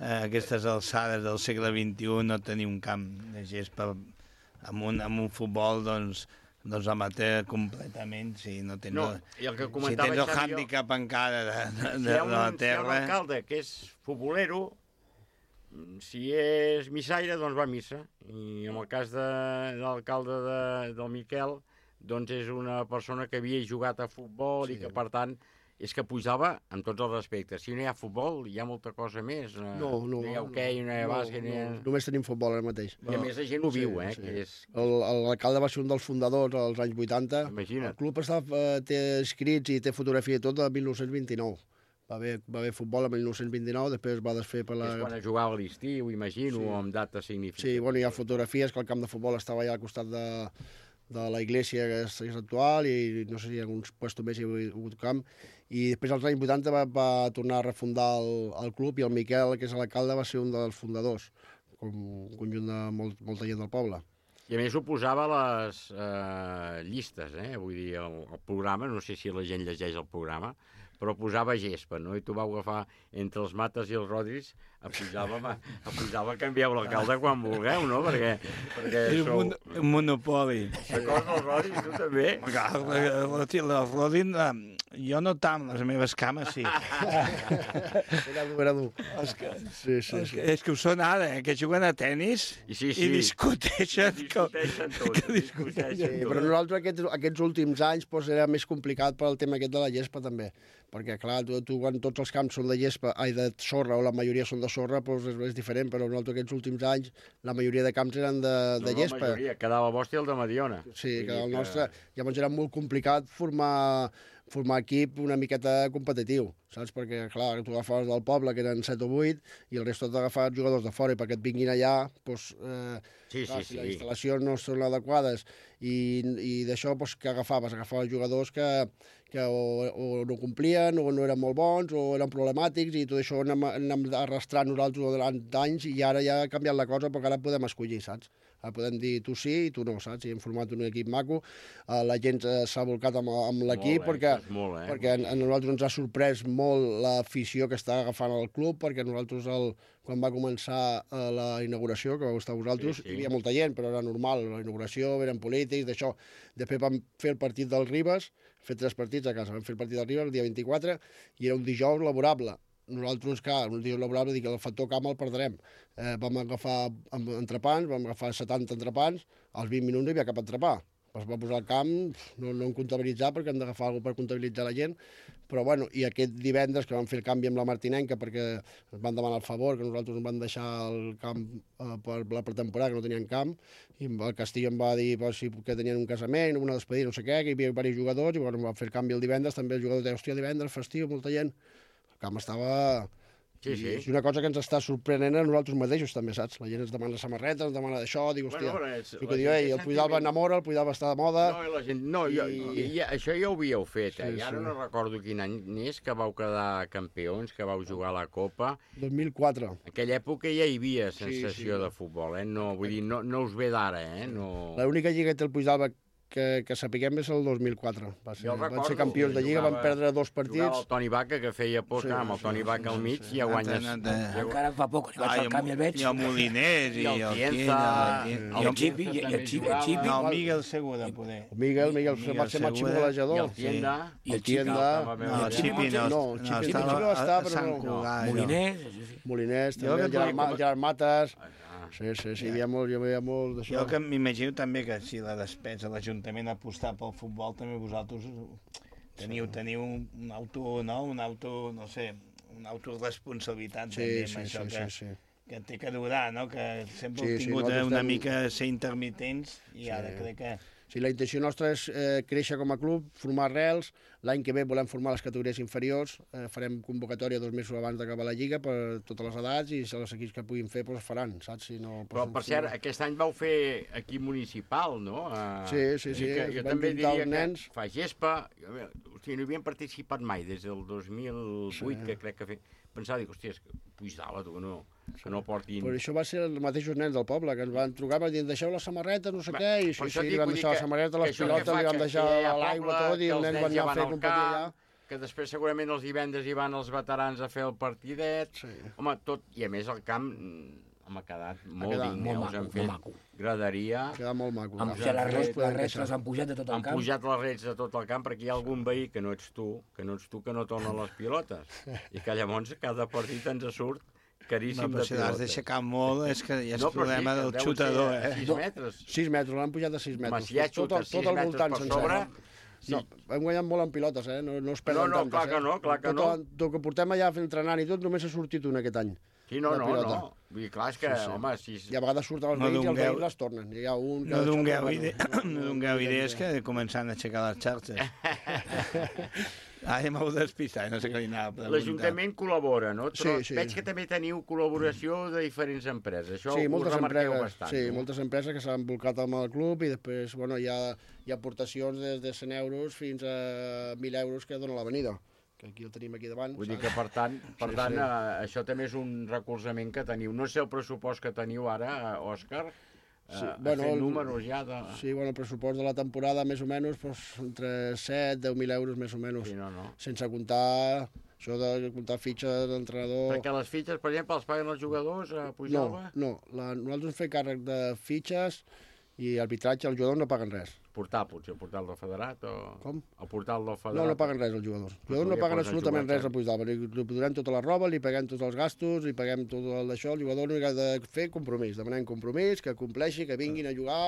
a aquestes alçades del segle vint-i-u no tenir un camp de gespa amb un, amb un futbol doncs, doncs amateur completament, si no tens, no, i el que si tens el hàndicap encara de, de, de, de la terra... Si hi ha un alcalde que és futbolero, si és missaire, doncs va a missa. I en el cas de, de l'alcalde de, del Miquel, doncs és una persona que havia jugat a futbol sí. i que, per tant, és que Puigdàlber, amb tots els respectes, si no hi ha futbol, hi ha molta cosa més. No, no. No hi ha hoquei, no hi ha no, bàsquet... No, no, només tenim futbol ara mateix. I a més la gent ho viu, eh? Sí. Que és... L'alcalde va ser un dels fundadors als anys vuitanta. Imagina't. El club està, té escrits i té fotografia i tot de mil nou-cents vint-i-nou. Va haver, va haver futbol en mil nou-cents vint-i-nou, després va desfer per la... És quan jugava a l'estiu, imagino, sí. amb dates significatives. Sí, bueno, hi ha fotografies que el camp de futbol estava allà al costat de, de la iglesia que és, és actual i no sé si hi ha alguns puestos més hi ha hagut camp. I després als anys vuitanta va, va tornar a refundar el, el club i el Miquel, que és l'alcalde, va ser un dels fundadors, com un conjunt de molt, molta gent del poble. I a més ho posava a les eh, llistes, eh? Vull dir, el, el programa, no sé si la gent llegeix el programa, però posava gespa, no? I tu vau agafar entre els Mates i els Rodris, a Puigdàlber, a Puigdàlber canvieu l'alcalde quan vulgueu, no? Perquè, perquè és sou... un, un monopoli. D'acord, els Rodris, tu també? Els Rodris, jo no tant, les meves cames sí. Era dur, era dur. És que, sí, sí, sí. És que ho són ara, eh? Que juguen a tennis I, sí, sí. i discuteixen. I discuteixen tot. Que discuteixen sí, tot. però nosaltres aquests, aquests últims anys doncs, era més complicat pel tema aquest de la gespa també. Perquè, clar, tu, tu quan tots els camps són de gespa, ai, de sorra, o la majoria són de sorra, doncs és, és diferent, però nosaltres aquests últims anys la majoria de camps eren de, de no, gespa. No, la majoria, quedava el vostre i el de Mediona. Sí, que el nostre... Llavors era molt complicat formar, formar equip una miqueta competitiu, saps? Perquè, clar, tu agafaves del poble, que eren set o vuit, i el resto t'agafaves jugadors de fora, i perquè et vinguin allà, doncs... Eh, sí, clar, sí, si sí. les instal·lacions no són adequades, i, i d'això, doncs, què agafaves? Agafaves jugadors que, que o, o no complien, o no eren molt bons, o eren problemàtics, i tot això anem, anem arrastrant nosaltres durant anys, i ara ja ha canviat la cosa, perquè ara podem escollir, saps? Ara podem dir tu sí i tu no, saps? I hem format un equip maco, uh, la gent s'ha volcat amb, amb l'equip, eh? perquè, molt, eh? perquè a nosaltres ens ha sorprès molt l'afició que està agafant el club, perquè nosaltres, el, quan va començar uh, la inauguració, que vau estar vosaltres, sí, sí. Hi havia molta gent, però era normal, la inauguració, eren polítics, d'això. Després vam fer el partit del Ribes, fer tres partits a casa, vam fer el partit del Ribes el dia vint-i-quatre, i era un dijous laborable. Nosaltres, clar, un dia laborable, dic que el factor camp el perdrem. Eh, vam agafar entrepans, vam agafar setanta entrepans, als vint minuts no hi havia cap entrepà. Es va posar al camp, no, no en comptabilitzar, perquè hem d'agafar alguna per comptabilitzar la gent, però bueno, i aquest divendres que vam fer el canvi amb la Martinenca, perquè ens van demanar el favor, que nosaltres ens van deixar el camp eh, per la pretemporada, que no tenien camp, i el Castillo em va dir pues, si, que tenien un casament, una despedida, no sé què, que hi havia diversos jugadors, i bueno, vam fer el canvi el divendres, també els jugadors deien, hòstia, divendres, festiu, molta gent. El camp estava... Sí, sí. És una cosa que ens està sorprenent a nosaltres mateixos, també, saps? La gent ens demana samarretes, ens demana d'això, dic, hòstia... Bueno, és, el que diu, ei, el Puigdàlber enamora, el Puigdàlber està de moda... No, la gent, no i... jo, i, i, això ja ho havíeu fet, eh? Sí, I ara sí. no recordo quin any és que vau quedar campions, que vau jugar a la Copa. dos mil quatre. En aquella època ja hi havia sensació sí, sí. de futbol, eh? No, vull dir, no, no us ve d'ara, eh? No... L'única lliga que té el Puigdàlber que, que sapiguem és el dos mil quatre. Va ser, van recordo, ser campions de Lliga, jugava, van perdre dos partits. Jugava el Toni Vaca, que feia por, sí, amb el Toni Vaca al mig, sí, sí. ja guanyes... Encara fa poc, li vaig al camp i el veig. I el Moliners, i el Tienda, el Xipi, i el Xipi. No, el Miguel Segura, poder. El Miguel, Miguel va ser màxim golejador. I el Tienda. I el Tienda. No, el Xipi no. No, el Xipi no va estar, però no. Moliners. Moliners, també, Gerard Mates... Sí, sí, sí, hi havia molt, hi havia molt d'això. Jo que m'imagino també que si la despesa, l'Ajuntament ha apostat pel futbol, també vosaltres teniu, teniu un auto, no? Un auto, no sé, una autoresponsabilitat sí, també sí, amb això sí, que, sí, sí. que té que durar, no? Que sempre sí, heu tingut sí, una estem... mica ser intermitents i sí. Ara crec que... Sí, la intenció nostra és eh, créixer com a club, formar arrels. L'any que ve volem formar les categories inferiors. Eh, farem convocatòria dos mesos abans d'acabar la Lliga per totes les edats i si els equips que puguin fer doncs faran, saps? Si no, Però, per cert, aquest any vau fer equip municipal, no? Uh, sí, sí, sí. Que jo també diria nens... que fa gespa... Hosti, no hi havien participat mai des del dos mil vuit, sí. que crec que fe... Pensava, dic, hòstia, Puigdala, tu, que no, que no portin... Però això va ser els mateixos nens del poble, que ens van trucar per dir, deixeu la samarreta, no sé què, i sí, sí, li vam deixar la samarreta, les pilotes, li vam deixar l'aigua, tot, i els nens van anar a fer competir allà. Que després segurament els divendres hi van els veterans a fer el partidet. Sí. Home, tot, i a més el camp home, ha quedat molt quedat digne, molt us han maco, fet maco. graderia. Ha quedat molt maco. Han pujat les rets, les rets les han pujat de tot el han camp. Han pujat les rets de tot el camp perquè hi ha algun veí que no ets tu, que no ets tu que no torna les pilotes. I que llavors cada partit ens surt caríssim no, de pilotes. Si l'has d'aixecar molt és que hi ha no, el problema sí, del xutador. Eh? sis metres. sis metres, l'han pujat a sis metres. Home, si ja xutes sis metres per sobre... Sí. No, hem guanyat molt en pilotes, eh? No, no es perden no, no, tantes, clar que eh? no, clar que tot, no. Tot que portem allà entrenant i tot, només ha sortit un aquest any. Sí, no, no, no. Vull dir, clar, és que, sí, sí. home, si... I a vegades surten els no veïns i els veïns les tornen. Hi ha un no dongueu ide no idees que començant a aixecar les xarxes. Ara m'heu despistat, no sé què li anava a preguntar. L'Ajuntament col·labora, no? Sí, sí. Veig que també teniu col·laboració de diferents empreses. Això sí, ho remarqueu empreses, bastant. Sí, no? moltes empreses que s'han volcat amb el club i després, bueno, hi ha, hi ha aportacions des de cent euros fins a mil euros que dona l'avenida, que aquí el tenim aquí davant. Vull saps? dir que, per tant, per sí, tant sí. Eh, això també és un recolzament que teniu. No sé el pressupost que teniu ara, Òscar, Sí, eh, bueno, fent números ja de... Sí, bueno, el pressupost de la temporada més o menys pues, entre set i deu mil euros més o menys. Sí, no, no. Sense comptar això de comptar fitxes d'entrenador... Perquè les fitxes, per exemple, els paguen els jugadors a Puigdàlber? No, no. La, nosaltres fem càrrec de fitxes i arbitratge, els jugadors no paguen res. Portar, potser, el portal del federat o... Com? El portal del federat? No, no paguen res els jugadors. Els jugadors no paguen absolutament res a Puigdàlber. Li, li donem tota la roba, li paguem tots els gastos, li paguem tot el d'això. El jugador només ha de fer compromís. Demanem compromís, que compleixi, que vinguin a jugar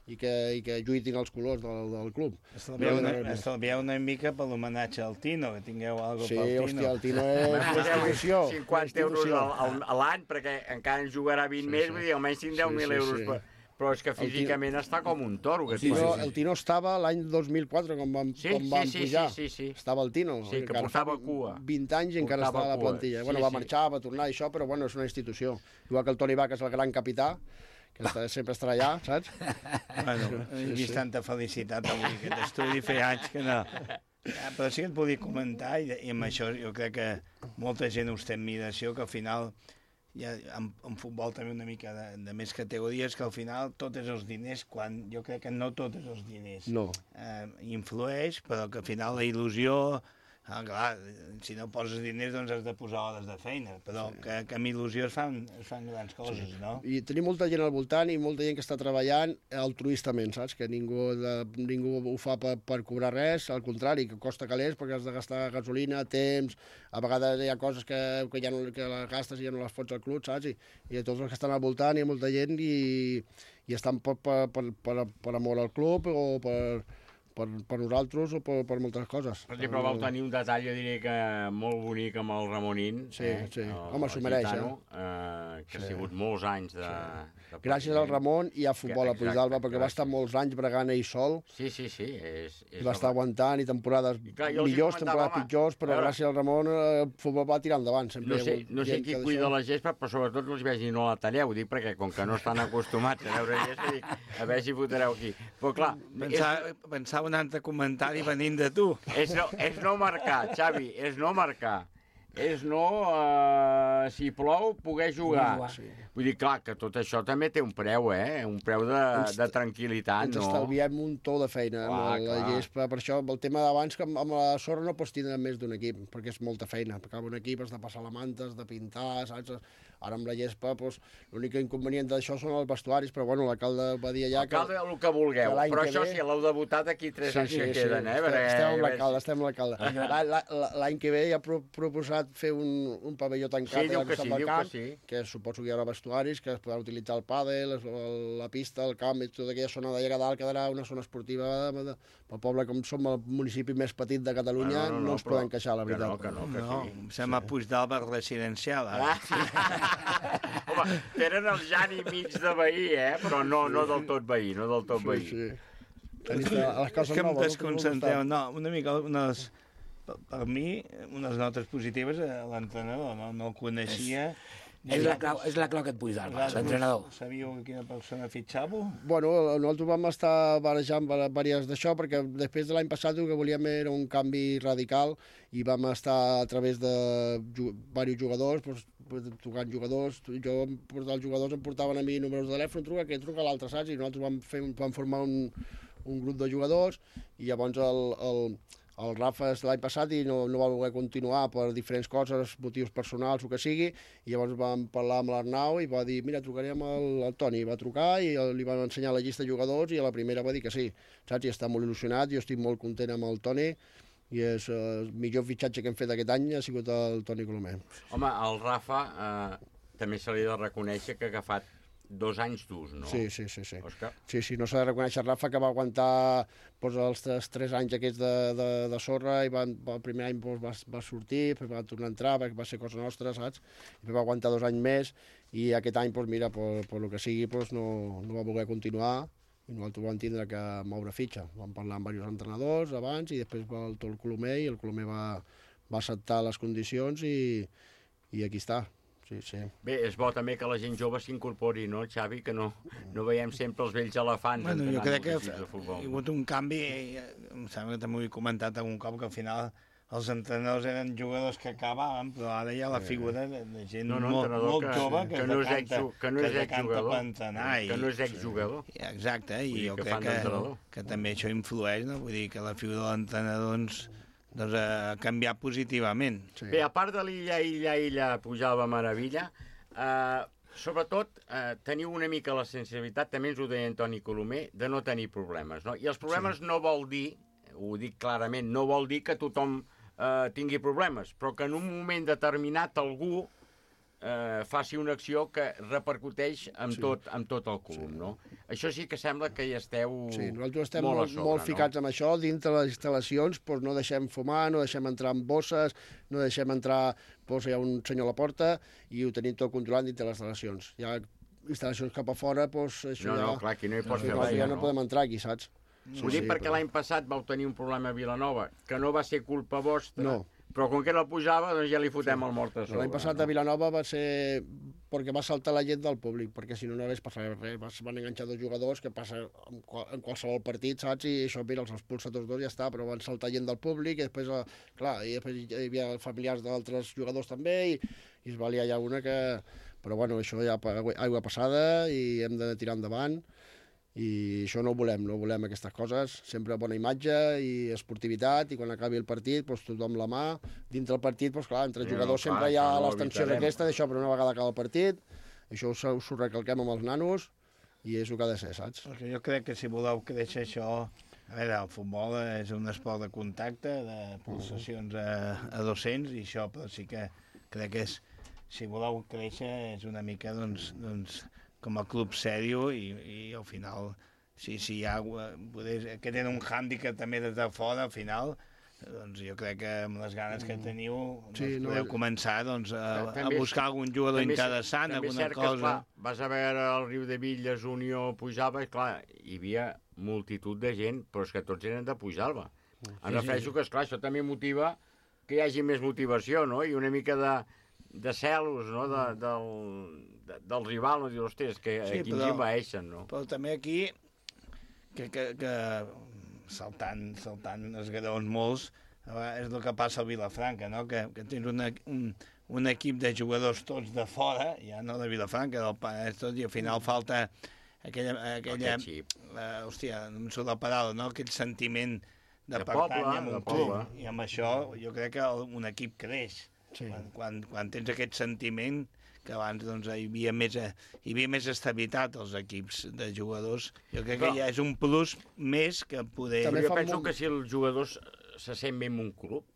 i que, i que lluitin els colors del, del club. Estalvieu una, estalvieu una mica per l'homenatge al Tino, que tingueu alguna cosa sí, pel Tino. Sí, hòstia, el Tino és institució. cinquanta euros a l'any, perquè encara en jugarà vint sí, més, sí. Vull dir, almenys tinc deu mil sí, sí, euros sí. Per... Però és que físicament Tino... està com un toro. El Tino, el Tino estava l'any dos mil quatre, quan vam, sí, quan vam sí, pujar. Sí, sí, sí. Estava el Tino. Sí, que portava cua. vint anys i encara estava a la plantilla. Sí, bueno, va sí. marxar, va tornar i això, però bueno, és una institució. Igual que el Toni Vaca és el gran capità, que està, sempre estarà allà, saps? Bueno, he vist sí. tanta felicitat avui, aquest estudi feia anys que no... Però sí que et volia comentar, i, i amb això jo crec que molta gent us té admiració, que al final... Hi ha en, en futbol també una mica de, de més categories, que al final tot és els diners, quan jo crec que no tot és els diners. No. Eh, influeix, però que al final la il·lusió... Ah, clar, si no poses diners doncs has de posar hores de feina, però sí. que, que amb il·lusió es fan, es fan grans coses, sí. no? I tenim molta gent al voltant i molta gent que està treballant altruistament, saps? Que ningú, de, ningú ho fa per, per cobrar res, al contrari, que costa calés perquè has de gastar gasolina, temps, a vegades hi ha coses que, que ja no que les gastes i ja no les fots al club, saps? I, i tots els que estan al voltant hi ha molta gent i, i estan per, per, per, per, per amor al club o per... Per, per nosaltres o per, per moltes coses. Per exemple, vau tenir un detall, jo diria que molt bonic amb el Ramonín. Sí, eh? sí. El, Home, s'ho mereix, gitano, eh? eh? Que sí. ha sigut molts anys de... Sí. de Gràcies al Ramon i a futbol a Puigdàlber, perquè gràcies. Va estar molts anys bregant ell sol. Sí, sí, sí. És, és I va estar aguantant i temporades I clar, millors, temporades pitjors, però veure, gràcies al Ramon el futbol va tirar endavant. Sempre no sé, no sé qui cuida la gespa, però sobretot no els vegi no la talleu, dic, perquè com que no estan acostumats a veure gespa, dic, a veure si fotreu aquí. Però clar... Pensava, és... pensava un altre comentari venint de tu. És no, és no marcar, Xavi, és no marcar. és no, uh, si plou, poder jugar. jugar. Sí. Vull dir, clar, que tot això també té un preu, eh? Un preu de, Ens- de tranquil·litat, Ens no? estalviem un to de feina amb Clar, la clar. gespa. Per això, el tema d'abans, que amb amb la sorra no pots tindre més d'un equip, perquè és molta feina. Perquè amb un equip has de passar la manta, has de pintar, saps? Ara amb la gespa, doncs, l'únic inconvenient d'això són els vestuaris, però bueno, l'alcalde va dir allà que... Alcalde, el que vulgueu, que l'any però que això ve- sí, l'heu de votar d'aquí tres anys que queden, eh? Estem, Perquè- estem amb l'alcalde, estem amb l'alcalde. La- la- la- L'any que ve ja ha pro proposat fer un, un pavelló tancat Sí, diu al que costat sí, del diu camp, que sí. que suposo que hi haurà vestuaris, que es podrà utilitzar el pàdel, el- la pista, el camp, i tota aquella zona d'allà a dalt quedarà una zona esportiva de, de, pel poble, com som el municipi més petit de Catalunya, No, no, no, no, ens però- poden queixar, la que veritat. no, que no, que no, em sembla Puigdàlber residencial. Ah. Home, tenen el Jani mig de veí, eh? Però no, no del tot veí, no del tot Sí, veí. sí. És que, és que em desconcentreu. No, una mica, unes, per, per mi, unes notes positives a l'entrenador, no, no el coneixia. És la clau, és la clau que et Puigdàlber, l'entrenador. Sabíeu quina persona fitxava? Bueno, nosaltres vam estar barejant diverses d'això, perquè després de l'any passat el que volíem era un canvi radical i vam estar a través de ju diversos jugadors, doncs, pues, tocant jugadors, jo em portava els jugadors, em portaven a mi números de telèfon, truca, que truca l'altre, saps? I nosaltres vam, fer, vam formar un, un grup de jugadors i llavors el, el, el Rafa és l'any passat i no, no va voler continuar per diferents coses, motius personals o que sigui, i llavors vam parlar amb l'Arnau i va dir, mira, trucarem al, al Toni. Va trucar i el, li van ensenyar la llista de jugadors i a la primera va dir que sí, saps? I està molt il·lusionat, jo estic molt content amb el Toni i és eh, el millor fitxatge que hem fet aquest any ha sigut el Toni Colomer. Home, el Rafa eh, també se li ha de reconèixer que ha agafat dos anys durs, no? Sí, sí, sí. sí. Òscar? Sí, sí, no s'ha de reconèixer Rafa que va aguantar doncs, els tres, tres anys aquests de, de, de sorra i va, el primer any doncs, va, va sortir, després va tornar a entrar, perquè va ser cosa nostra, saps? I va aguantar dos anys més i aquest any, doncs, mira, per, per lo que sigui, doncs, no, no va voler continuar i nosaltres vam tindre que moure fitxa. Vam parlar amb diversos entrenadors abans i després va el, el Colomer i el Colomer va, va acceptar les condicions i, i aquí està. Sí, sí. Bé, és bo també que la gent jove s'incorpori, no, Xavi? Que no, no veiem sempre els vells elefants Bueno, jo entrenant crec que els equips de futbol. hi ha hagut un canvi, eh, em sembla que també ho he comentat algun cop, que al final els entrenadors eren jugadors que acabaven, però ara hi ha la figura de, de gent No, no, molt, entrenador molt que- jove que que, no es és decanta, exju- que no és es decanta exjugador. per entrenar. Que no és exjugador. Sí. Exacte, i Vull dir jo que crec fan que, d'entrenador. que també això influeix, no? Vull dir que la figura de l'entrenador doncs, doncs, ha canviat positivament. Sí. Bé, a part de l'illa, illa, illa, pujava meravella, eh, sobretot eh, teniu una mica la sensibilitat, també ens ho deia Antoni Colomer, de no tenir problemes, no? I els problemes sí. no vol dir, ho dic clarament, no vol dir que tothom eh, tingui problemes, però que en un moment determinat algú eh, faci una acció que repercuteix amb, Sí. tot, amb tot el club, sí. no? Això sí que sembla que hi esteu Sí, nosaltres estem molt, molt, a sobre, molt ficats amb això, dintre les instal·lacions, doncs no deixem fumar, no deixem entrar amb bosses, no deixem entrar, doncs hi ha un senyor a la porta i ho tenim tot controlat dintre les instal·lacions. Hi ha instal·lacions cap a fora, doncs això No, ja... no, clar, aquí no hi pots sí, fer ja res, no no? podem entrar aquí, saps? Ho dic perquè l'any passat vau tenir un problema a Vilanova, que no va ser culpa vostra, No. però com que la pujava, doncs ja li fotem sí. el mort a sobre. L'any passat a Vilanova va ser perquè va saltar la gent del públic, perquè si no no hagués passat res. Es van enganxar dos jugadors, que passa en, qual, en qualsevol partit, saps? I això, mira, els expulsa tots dos i ja està, però van saltar gent del públic i després, eh, clar, i després hi havia familiars d'altres jugadors també i, i es va liar ja una que... Però bueno, això ja aigua passada i hem de tirar endavant i això no ho volem, no volem aquestes coses, sempre bona imatge i esportivitat i quan acabi el partit doncs, tothom la mà, dintre el partit doncs, clar, entre No, jugadors no, clar, sempre hi ha això no les ho tensions evitarem. aquestes, això però una vegada acaba el partit, això us, us ho recalquem amb els nanos i és el que ha de ser, saps? Perquè jo crec que si voleu créixer això... A veure, el futbol és un esport de contacte, de pulsacions a, a dos-cents, i això, però sí que crec que és, si voleu créixer és una mica, doncs, doncs com a club sèrio i, i al final, si, si hi ha... Poder, que tenen un hàndicap també des de fora, al final, doncs jo crec que amb les ganes que teniu doncs Sí, no, podeu començar doncs, a, També a buscar algun jugador també és- interessant, també és alguna cert que, cosa... esclar, vas a veure el Riu de Villes, Unió, Pujalba, i clar, hi havia multitud de gent, però és que tots eren de Pujalba. Em sí, refereixo sí. que, esclar, això també motiva que hi hagi més motivació, no? I una mica de, de celos, no?, de, del, de, del rival, no? Dir, hosti, és que Sí, aquí ens però- envaeixen, no? Però també aquí, que, que, que saltant, saltant els graons molts, És el que passa al Vilafranca, no? Que, que tens una, un, un equip de jugadors tots de fora, ja no de Vilafranca, del Penedès tot, i al final falta aquella... aquella uh, hòstia, no em surt la paraula, no? Aquell sentiment de, de pertany a un club. I amb això jo crec que un equip creix. Sí. Quan, quan, quan tens aquest sentiment que abans doncs, hi, havia més, hi havia més estabilitat als equips de jugadors. Jo crec que ja és un plus més que poder... També jo penso molt... que si els jugadors se sent bé en un club,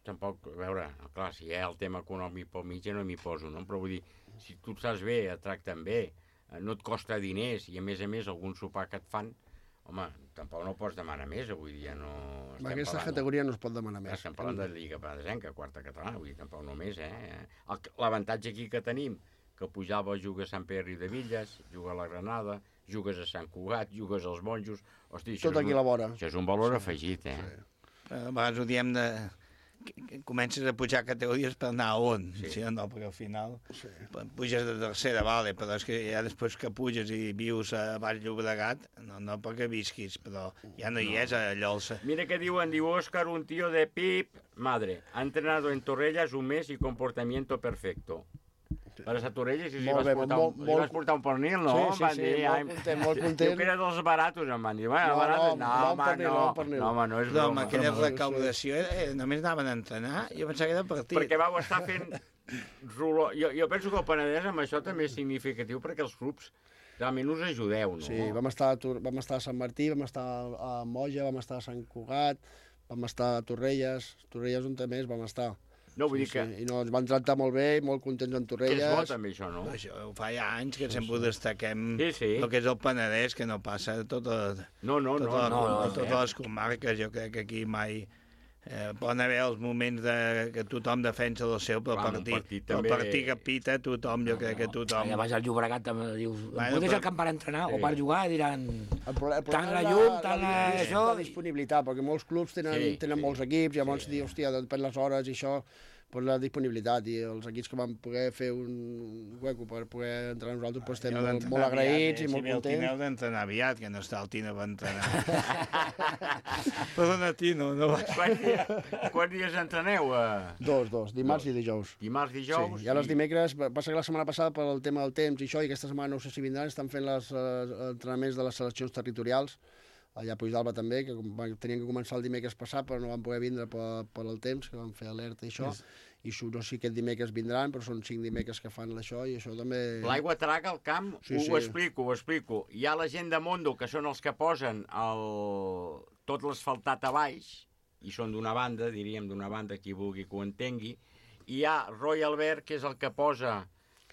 tampoc, a veure, clar, si hi ha el tema econòmic pel mig ja no m'hi poso, no? Però vull dir, si tu estàs bé, et tracten bé, no et costa diners i a més a més algun sopar que et fan, home, tampoc no pots demanar més, avui dia no... En aquesta parlant... categoria no es pot demanar més. Estem parlant de Lliga Penedesenca, quarta catalana, vull dir, tampoc només, eh? L'avantatge aquí que tenim, que Pujava juga a Sant Pere Riudevilles, juga a la Granada, jugues a Sant Cugat, jugues als Monjos... Hosti, tot aquí a la vora. Això és un valor sí. afegit, eh? Sí. A vegades ho diem de... comences a pujar categories per anar a on, sí, sí no? Perquè al final sí. puges de tercera, vale, però és que ja després que puges i vius a Baix Llobregat, no, no perquè visquis, però ja no, no. hi és allò. El... Mira què diuen, diu Òscar, un tío de Pip, madre, ha entrenado en Torrelles un mes y comportamiento perfecto. Vas a Torrelles i si vas, bé, portar molt, un, molt... vas portar un pernil, no? Sí, sí, sí, sí molt content, molt content. Jo que era dels baratos, em van dir. Bueno, no, baratos, no, no, home, pernil, no, pernil. no, home, no és broma. No, aquella recaudació, eh, només anaven a entrenar, jo pensava que era partit. Perquè vau estar fent roló. Jo, jo penso que el Penedès amb això també és significatiu perquè els clubs realment us ajudeu, no? Sí, vam estar, vam estar a Sant Martí, vam estar a Moja, vam estar a Sant Cugat, vam estar a Torrelles, Torrelles on també vam estar. No, vull sí, dir que... Sí. I no, ens van tractar molt bé, molt contents en Torrelles. Que és bo també això, no? Això fa ja anys que sí, sempre sí. destaquem sí, sí. el que és el Penedès, que no passa a totes no, no, tot no, no, no, no, no, totes no, les comarques. Jo crec que aquí mai... Eh, poden haver els moments de, que tothom defensa el seu, però el partit, partit, també... el partit que pita tothom, jo crec que tothom... Ja vas al Llobregat, també dius, bueno, potser però... el camp per entrenar sí. o per jugar, diran... El problema, el tant la llum, tant la... això... La disponibilitat, perquè molts clubs tenen, sí, tenen sí, molts equips, i llavors sí. dir, hòstia, depèn les hores i això... per la disponibilitat, i els equips que vam poder fer un hueco per poder entrenar nosaltres, pues, estem molt, molt agraïts i molt contents. Si el Tino d'entrenar aviat, que no està el Tino per entrenar. Perdona, Tino, no va. Quants dies, quants dies entreneu? Dos, dos, dimarts dos. i dijous. Dimarts, dijous? Sí, i ara els dimecres, passa que la setmana passada per el tema del temps i això, i aquesta setmana no sé si vindran, estan fent els uh, entrenaments de les seleccions territorials, allà a Puigdàlber també, que tenien que començar el dimecres passat, però no van poder vindre per, per el temps, que van fer alerta i això, i no sé si aquest dimecres vindran, però són cinc dimecres que fan això, i això també... L'aigua traga al camp, sí, ho, sí. ho explico, ho explico. Hi ha la gent de Mondo, que són els que posen el... tot l'asfaltat a baix, i són d'una banda, diríem d'una banda, qui vulgui que ho entengui, i hi ha Roy Albert, que és el que posa...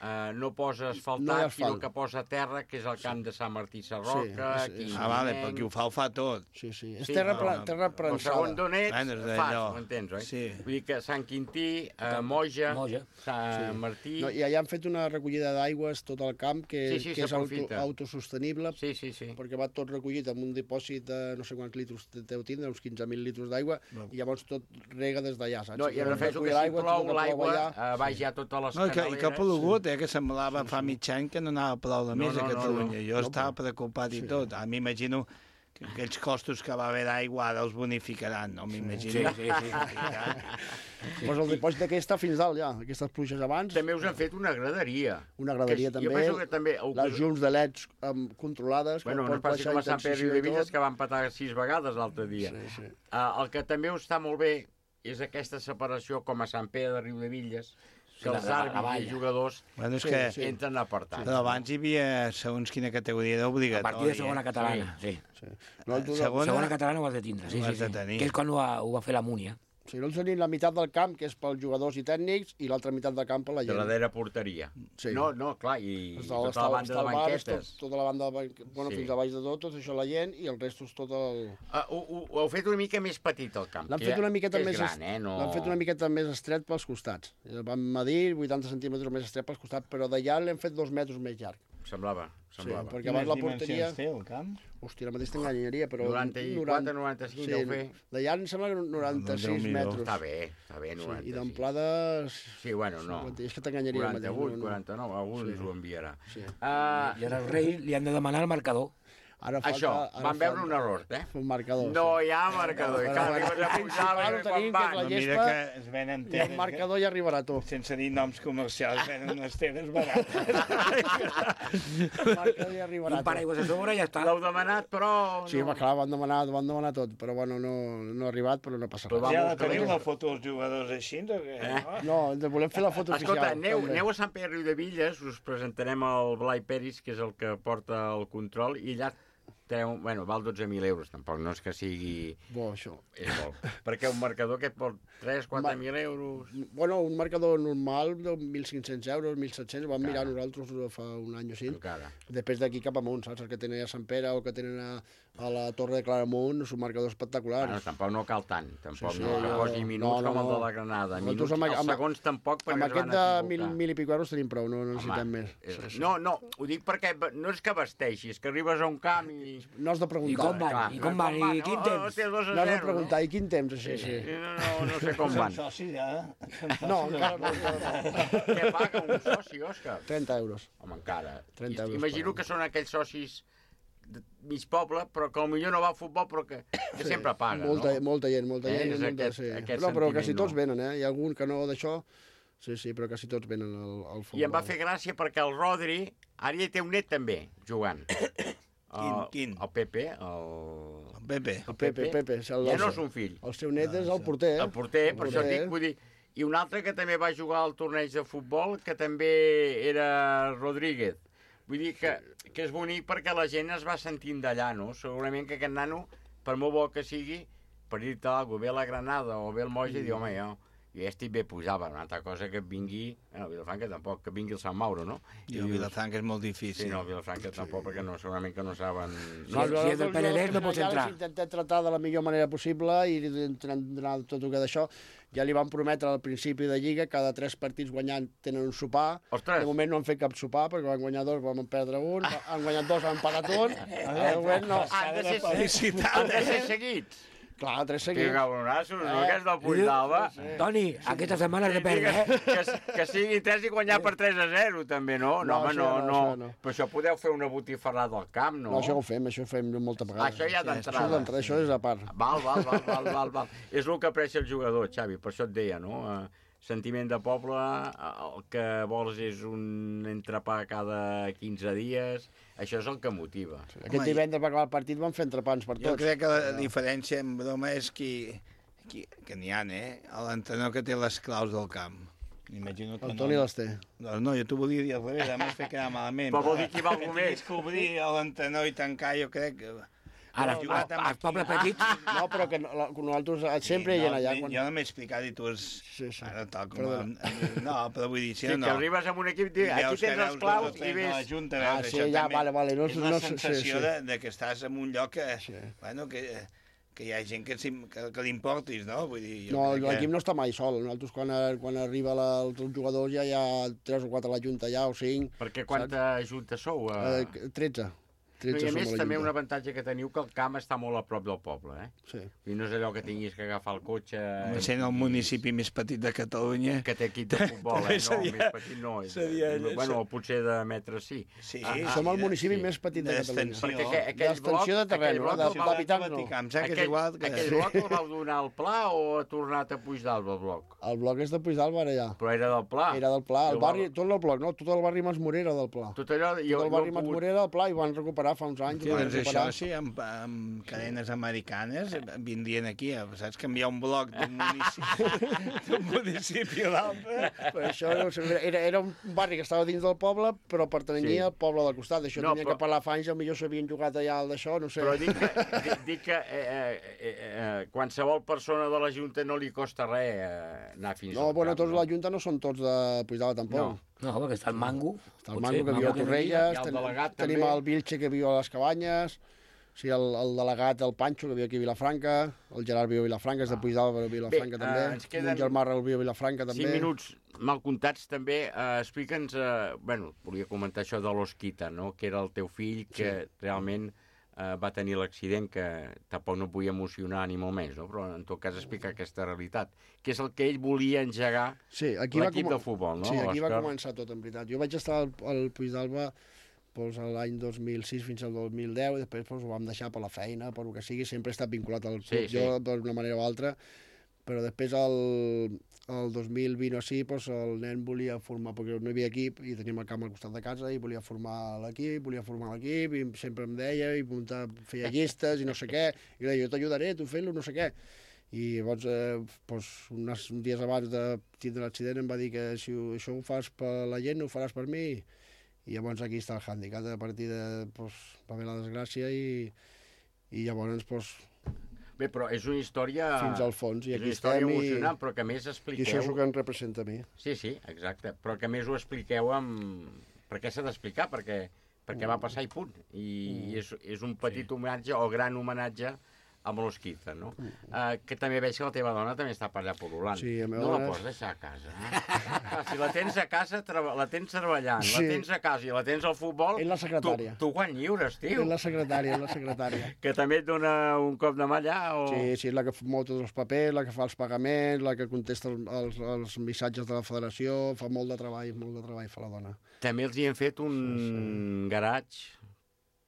Uh, no posa asfaltat, no sinó que posa terra, que és el camp de Sant Martí Sarroca... Sí, és, és... Ah, vale, però qui ho fa, ho fa tot. Sí, sí, és sí, terra, no, no. terra prensada. El segon d'on ets, bueno, fas, m'entens, oi? Sí. Vull dir que Sant Quintí, uh, Moja, Moja, Sant sí. Martí... No, I allà han fet una recollida d'aigües tot el camp, que, sí, sí, que és auto, autosostenible, sí, sí, sí. perquè va tot recollit amb un dipòsit de no sé quants litres deu tindre, uns quinze mil litres d'aigua, no. i llavors tot rega des d'allà, saps? No, i ara penso que si plou l'aigua, uh, baix ja totes les no, canaleres... I que ha plogut, eh, que semblava fa mig any que no anava prou de més no, no, a Catalunya. No, no. Jo no, estava preocupat sí. i tot. A mi m'imagino que aquells costos que va haver d'aigua ara els bonificaran, no? M'imagino. Sí, sí, sí. sí. Pues el dipòsit d'aquí està fins dalt, ja, aquestes pluges abans. També us han fet una graderia. Una graderia, que, també. Jo penso que també... Les llums de leds um, controlades. Bueno, no passi com a Sant Pere Riudevilles, que van petar sis vegades l'altre dia. Sí, sí. Uh, el que també us està molt bé és aquesta separació com a Sant Pere de Riudevilles, que els àrbitres i jugadors bueno, és que sí, entren apartats. Però abans hi havia, segons quina categoria era obligatòria. A partir de segona catalana, sí. sí. sí. No, segona... segona catalana ho has de tindre, sí, sí, sí. Que és quan ho va, ho va fer la Múnia. Si no, tenim la meitat del camp, que és pels jugadors i tècnics, i l'altra meitat del camp per la gent. De la darrera porteria. Sí. No, no, clar, i tota la banda de banquetes. Tota la banda de banquetes, bueno, fins a baix de tot, tot això la gent, i el resto és tot el... Uh, ho, ho, ho heu fet una mica més petit, el camp. L'han fet una miqueta més gran, eh? No... L'han fet una miqueta més estret pels costats. Vam medir vuitanta centímetres més estret pels costats, però d'allà l'hem fet dos metres més llarg. Semblava, semblava. Sí, perquè abans la porteria... Quines dimensions té el camp? Hòstia, ara mateix t'enganyaria, però... noranta-quatre, noranta-cinc, deu fer. D'allà em sembla que noranta-sis metres. Està bé, està bé, noranta-sis. Sí, i d'amplada... Sí, bueno, no. És que t'enganyaria. quaranta-vuit, quaranta-nou, algú ens ho enviarà. I ara al rei li han de demanar el marcador. Ara falta, Això, ara van veure falta un error, eh? Un marcador. No hi ha marcador. Però, Clar, bueno, arribes a pujar a veure quan van. la Mira gespa que es venen i el marcador ja arribarà a tu. Sense dir noms comercials, venen unes teles barates. El marcador ja arribarà a tu. Un paraigües a sobre i ja està. L'heu demanat, però... Sí, no. clar, van demanar, van demanar tot, però bueno, no, no ha arribat, però no passa res. Ja la teniu la foto dels jugadors així, o què? Eh? No, ens volem fer la foto Escolta, oficial. aneu, aneu a Sant Pere Riu de Villes, us presentarem el Blai Peris, que és el que porta el control, i allà treu, bueno, val dotze mil euros, tampoc no és que sigui... Bo, això. És molt. Perquè un marcador que et pot tres quatre mil euros... Bueno, un marcador normal de mil cinc-cents euros, mil set-cents, ho vam mirar nosaltres fa un any o així. Encara. Després d'aquí cap amunt, saps? Els que tenen a Sant Pere o que tenen a, a la Torre de Claramunt, és un marcador espectacular. Bueno, tampoc no cal tant, tampoc Sí, sí, no, que jo- posi minuts no, no, com el no. de la Granada. Nosaltres Minuts, amb- els amb- segons tampoc, perquè Amb es van aquest de mil, equivocar. mil i pico euros tenim prou, no, no necessitem més. és- Sí, sí. No, no, ho dic perquè no és que vesteixis, que arribes a un camp i... No has de preguntar. I com van? Clar, I com van? I quin Oh, temps? té dos a No has de zero, preguntar, i quin temps, així, sí. No, no, no sé com van. Són socis, ja? No, encara no. Què paga un soci, Òscar? trenta euros. Home, encara. trenta euros Imagino que són aquells socis de mig poble, però que potser no va a futbol, però que, que Sí, sempre paga, molta, no? Molta gent, molta Eh, gent. és molta, aquest- sí. aquest no, però sentiment, quasi tots no. venen, eh? Hi ha algun que no d'això, sí, sí, però quasi tots venen al, al futbol. I em va fer gràcia perquè el Rodri, ara ja té un net també, jugant. Quin, quin? El Pepe, el... El Pepe. El Pepe, Pepe. És el, Ja no és un fill. El seu net és el porter. El porter, per El això porter. dic, vull dir... I un altre que també va jugar al torneig de futbol, que també era Rodríguez. Vull dir que, que és bonic perquè la gent es va sentint d'allà, no? Segurament que aquest nano, per molt bo que sigui, per dir-te alguna cosa, ve a la Granada o ve al Moix i diu, home, jo, jo ja estic bé posava. Una altra cosa que vingui, bueno, Vilafranca tampoc, que vingui el Sant Mauro, no? I el Vilafranca és molt difícil. Sí, no, Vilafranca tampoc, perquè no, segurament que no saben... No, Si és del Penedès no pots entrar. Ja intentem tractar de la millor manera possible i entrenar tot el que d'això. Ja li van prometre al principi de Lliga cada tres partits guanyant tenen un sopar. Ostres! De moment no han fet cap sopar perquè van guanyar dos, vam perdre un, han guanyat dos, han pagat un. De moment no. Han de ser, han de ser seguits. Clar, tres Que seguits. cabronassos, no? Eh, Que és del Puig d'Alba. Toni, aquesta setmana has de perdre, eh? Que, que sigui tres i guanyar per tres a zero, també, no? No, No, home, això no, no, no. això no. Però això podeu fer una botifarrada al camp, no? No, això ho fem, això ho fem moltes vegades. Això ja Sí, d'entrada. Això, d'entrada, això és a part. Val, val, val, val, val, val. És el que apressa el jugador, Xavi, per això et deia, no? Eh, sentiment de poble, eh, el que vols és un entrepà cada quinze dies, això és el que motiva. Sí. Aquest divendres va acabar el partit, van fer entrepans per tots. Jo crec que la diferència en broma és qui, qui que n'hi ha, eh? L'entrenador que té les claus del camp. M'imagino que El Toni no. les té. No, no, jo t'ho volia dir al revés, a més fer quedar malament. Però vol dir que hi va algú Que més. tinguis que obrir l'entrenador i tancar, jo crec que... Ara, Però jugat els, amb els pobles petits... No, però que no- la- nosaltres sempre hi no, ha allà. Jo Quan... no m'he explicat i tu és... Sí, sí. Ara, tal com... Perdona. No, però vull dir, si Sí, no, que no. arribes amb un equip, diu, I aquí veus que tens els veus claus dos o i tres de la ves... Junta, Ah, veus, sí, això ja, també vale, vale, no- és no la sé- sí, sensació sí. De, de que estàs en un lloc que, bueno, que, que hi ha gent que, s'im- que, que li importis, no? Vull dir, jo No, crec que... l'equip no està mai sol. Nosaltres quan, quan arriba la, el jugador ja hi ha tres o quatre a la junta ja, o cinc. Perquè quanta junta sou? Eh, Eh? tretze. No, I a som més, la també junta. un avantatge que teniu que el camp està molt a prop del poble, eh? Sí. I no és allò que tinguis que agafar el cotxe... Home, sent el municipi més petit de Catalunya... Que té equip de futbol, eh? No, seria- més petit no. És, seria- bueno, potser de metres sí. Sí, Ah, som el municipi sí. més petit de Catalunya. D'extensió. Perquè aquell, aquell bloc... D'extensió de terreny, aquell bloc no? el De- vau- d'habitants no. Em sembla que és aquell, igual que... aquell bloc el vau donar al Pla o ha tornat a Puig d'Alba, el bloc? El bloc és de Puig d'Alba, ara ja. Però era del Pla. Era del Pla. I El barri, tot el bloc, no? Tot el barri Masmorera del Pla. Tot allò... Tot el barri Masmorera del Pla i van recuperar fa uns anys. Sí, ho van doncs això, recuperar. sí, amb, amb cadenes americanes vindrien aquí, a, saps? Canviar un bloc d'un municipi, d'un municipi a l'altre. Però això era, era un barri que estava dins del poble, però pertanyia Sí. al poble del costat. Això No, tenia però- que parlar fa anys, potser s'havien jugat allà al d'això, no sé. Però dic que, dic, dic que eh, eh, eh, eh, qualsevol persona de la Junta no li costa res eh, anar fins No, al bueno, camp, tots la Junta no són tots de Puigdala, tampoc. No. No, perquè està el Mango. Està el Mango, que viu a Torrelles, i el ten, delegat tenim també. el Vilche, que viu a les Cabanyes, sí, el, el delegat, el Pancho, que viu aquí a Vilafranca, el Gerard viu a Vilafranca, és de Puigdala, però a Vilafranca Bé, també, eh, ens queden un germà el viu a Vilafranca també. Cinc minuts mal comptats també. Eh, Explica'ns, eh, bueno, volia comentar això de l'Osquita, no? Que era el teu fill que sí. realment eh, va tenir l'accident, que tampoc no vull emocionar ni molt més, no? Però en tot cas explicar aquesta realitat, que és el que ell volia engegar sí, aquí va l'equip com... de futbol, no? Sí, aquí va l'Òscar? començar tot, en veritat. Jo vaig estar al, al Puig d'Alba doncs, l'any dos mil sis fins al dos mil deu, i després doncs, ho vam deixar per la feina, per el que sigui, sempre he estat vinculat al club, Sí, sí. jo d'una manera o altra, però després el, el dos mil vint o així, doncs, el nen volia formar, perquè no hi havia equip, i teníem el camp al costat de casa, i volia formar l'equip, volia formar l'equip, i sempre em deia, i muntar, feia llistes, i no sé què, i deia, jo t'ajudaré, tu fent-lo, no sé què. I llavors, eh, doncs, uns dies abans de tindre l'accident em va dir que si ho, això ho fas per la gent, ho faràs per mi. I llavors aquí està el hàndicap. A partir de... Doncs, va haver la desgràcia i, i llavors... Doncs, Bé, però és una història... fins al fons. I és aquí una història estem emocionant, i... però que a més expliqueu... I això és el que em representa a mi. Sí, sí, exacte. Però que a més ho expliqueu amb... Per què s'ha d'explicar? Perquè, perquè va passar i punt. I Mm. és, és un petit sí. homenatge o gran homenatge a l'Osquiza, no? Mm. Uh, que també veig que la teva dona també està per allà pol·lulant. Sí, la meva no dona- la pots deixar a casa, eh? Clar, si la tens a casa, treba- la tens treballant, Sí. la tens a casa i la tens al futbol... És la secretària. Tu, tu quan lliures, tio. És la secretària, és la secretària. Que també et dona un cop de mà allà, o... Sí, sí, és la que mou tots els papers, la que fa els pagaments, la que contesta els, els, els missatges de la federació, fa molt de treball, molt de treball fa la dona. També els hi hem fet un sí, sí. garatge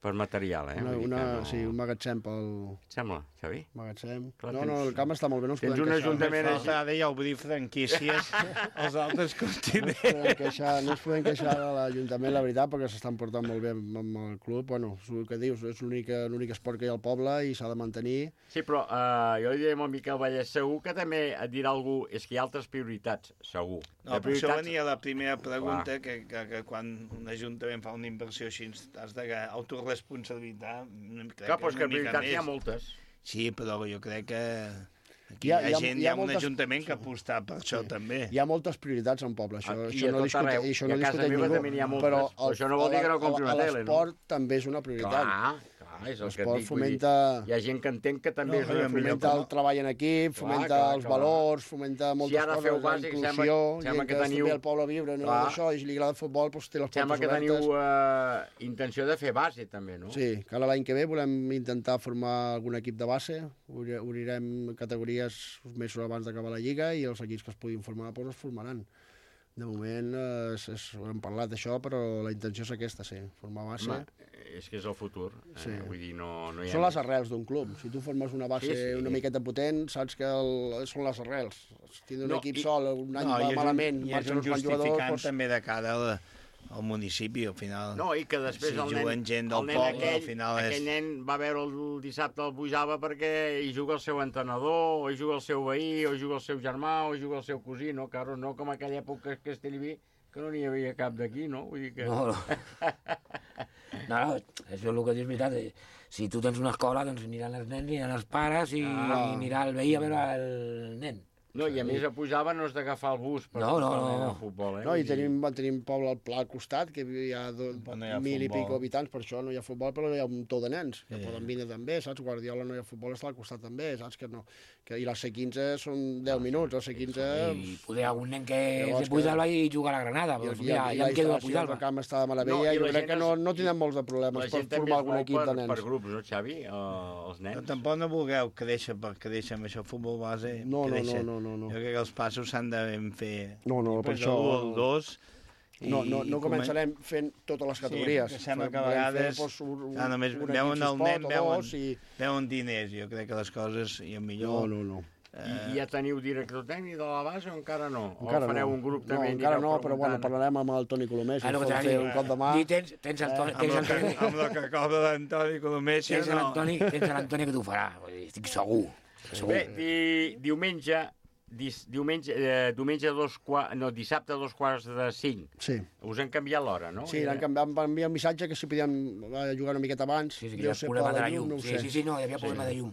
per material, eh? Una, Vull dir una, que no... sí, un magatzem pel... Et sembla, Xavi? Magatzem. Clar, no, tens- no, el camp està molt bé, no ens tens podem un queixar. ajuntament Només falta ara ja obrir franquícies als altres No ens continents. podem queixar, no ens podem queixar de l'Ajuntament, la veritat, perquè s'estan portant molt bé amb, amb el club. Bueno, és el que dius, és l'únic l'únic esport que hi ha al poble i s'ha de mantenir. Sí, però uh, jo li diré al Miquel Vallès, segur que també et dirà algú, és que hi ha altres prioritats, segur. No, De per això prioritats- venia la primera pregunta, que, que, que quan un ajuntament fa una inversió així has de autoresponsabilitzar. Crec Clar, però és que una mica prioritats n'hi ha més. moltes. Sí, però jo crec que aquí Hi hi ha- ha, hi ha- gent, hi hi ha ha, un moltes- ajuntament que aposta per això també. Hi ha moltes prioritats en poble, això, Aquí això a no tot discute, arreu. això I no a casa discuteix meva ningú. també n'hi ha moltes, però però això no vol dir que no compri una tele, no? L'esport també és una prioritat. Clar, clar, és el que et L'esport dic. vull dir, fomenta... Hi ha gent que entén que també No, és una fomenta el treball en equip, Clar, fomenta clar, els clar. valors, fomenta moltes Si ara coses, feu la bàsic, inclusió, sembla- sembla gent que que teniu- també al poble a viure, no, Clar. això, i si li agrada el futbol, doncs té les Sembla portes que obertes. teniu uh, intenció de fer base, també, no? Sí, que ara l'any que ve volem intentar formar algun equip de base, Obri- obrirem categories uns mesos abans d'acabar la Lliga i els equips que es puguin formar doncs es formaran. De moment eh, és, és, hem parlat d'això, però la intenció és aquesta, sí, formar base. Home, és que és el futur. Sí. Eh, vull dir, no, no hi ha... Són les arrels d'un club. Si tu formes una base Sí, sí. una miqueta potent, saps que el, són les arrels. Si tindre un No, equip i- sol, un any No, va i és un- malament, i és marxen un uns quants jugadors... justificant Doncs... també de cara al, al municipi, al final. No, i que després si el nen, juguen gent del el nen poble, aquell, al final és... aquell nen va veure el dissabte el Bujava perquè hi juga el seu entrenador, o hi juga el seu veí, o hi juga el seu germà, o hi juga el seu cosí, no? Claro, no com aquella època a Castellví, que no n'hi havia cap d'aquí, no? Vull dir que... No, no. No, no, això és el que dius, veritat. eh, Si tu tens una escola, doncs aniran els nens, aniran els pares i, Ah. i anirà el veí a veure el nen. No, i a més a Pujava no has d'agafar el bus per No, no, per anar no. al futbol, eh? No, i Vull dir- tenim, tenim poble al pla al costat, que hi ha, do, no hi ha mil i futbol. pico habitants, per això no hi ha futbol, però hi ha un tot de nens, que poden vindre també, saps? Guardiola no hi ha futbol, està al costat també, saps? Que no. Que, I la C quinze són deu minuts, la C quinze... I poder algun nen que Llavors és de Puigdalba i jugar a la Granada, doncs i, mira, i, ja la em quedo a instal·lació del Puigdalba. camp està de meravella, No, i jo la crec gent que no, es- no tindrem molts de La problemes per gent també formar es algun mou equip per, de nens. per grups, no, Xavi? Uh, els nens. Però tampoc no vulgueu créixer per créixer amb això, futbol base, No, no, créixer. no, no, no, no. Jo crec que els passos s'han de ben fer. No, no, per Després això- de l'u al dos... No, no, no començarem fent totes les categories. Sí, perquè sembla que a Volem fer, vegades doncs, un, un, ah, només un equip veuen si el es pot, nen, o veuen, dos, i... veuen diners. Jo crec que les coses, i el millor... No, no, no. I, I ja teniu director tècnic de la base o encara no? Encara o fareu no. un grup no, també? i encara anireu no, però bueno, preguntant? parlarem amb el Toni Colomé, si Ah, no, ens que pot t'ha fer dit, un cop de mà. I tens, tens Antoni, Amb, tens el que, Antoni, amb el que cobra l'Antoni Colomé, tens no. l'Antoni, tens l'Antoni que t'ho farà, vull dir, estic segur. segur. Bé, di, diumenge, dis, diumenge, eh, diumenge a dos quarts, no, dissabte a dos quarts de cinc. Sí. Us han canviat l'hora, no? Sí, l'han canviat, em van enviar un missatge que si podíem jugar una miqueta abans. Sí, sí, que hi deu ha ser problema per de la la llum. no ho Sí, sé. sí, sí, no, hi havia problema de llum.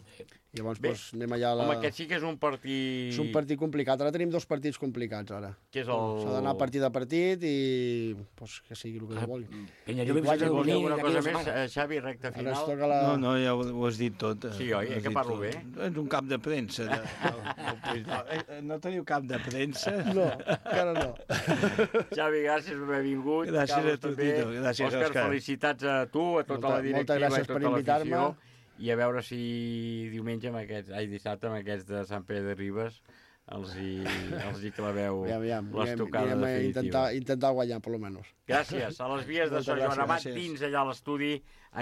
Llavors, Bé, doncs, anem allà a la... Home, aquest sí que és un partit... És un partit complicat. Ara tenim dos partits complicats, ara. Que és el... S'ha d'anar partit a partit i doncs, que sigui el que Ah, es vulgui. Penya, I jo m'he guanya vist el Vols dir dormir alguna d'aquí cosa una més, setmana. eh, Xavi, recta Ara final? ens toca la... No, no, ja ho, ho has dit tot. eh. Sí, oi? Ho Eh, has que dit parlo tot. bé? És un cap de premsa. De, de, de, de, no teniu cap de premsa? No, encara no. Xavi, gràcies per haver vingut. Gràcies Carles, a tu, també. Tito. Gràcies, Òscar, Òscar. felicitats a tu, a tota Molta- la directiva moltes gràcies i a per tota invitar-me. l'afició. I a veure si diumenge, amb aquests, ai, dissabte, amb aquests de Sant Pere de Ribes, els hi, els hi claveu aviam, aviam, les tocades aviam, definitives. Intentar, intentar guanyar, per almenys. Gràcies. A les vies de Moltes Sant Joan gràcies, Amat, gràcies. dins allà a l'estudi,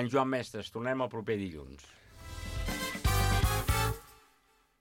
en Joan Mestres. Tornem el proper dilluns.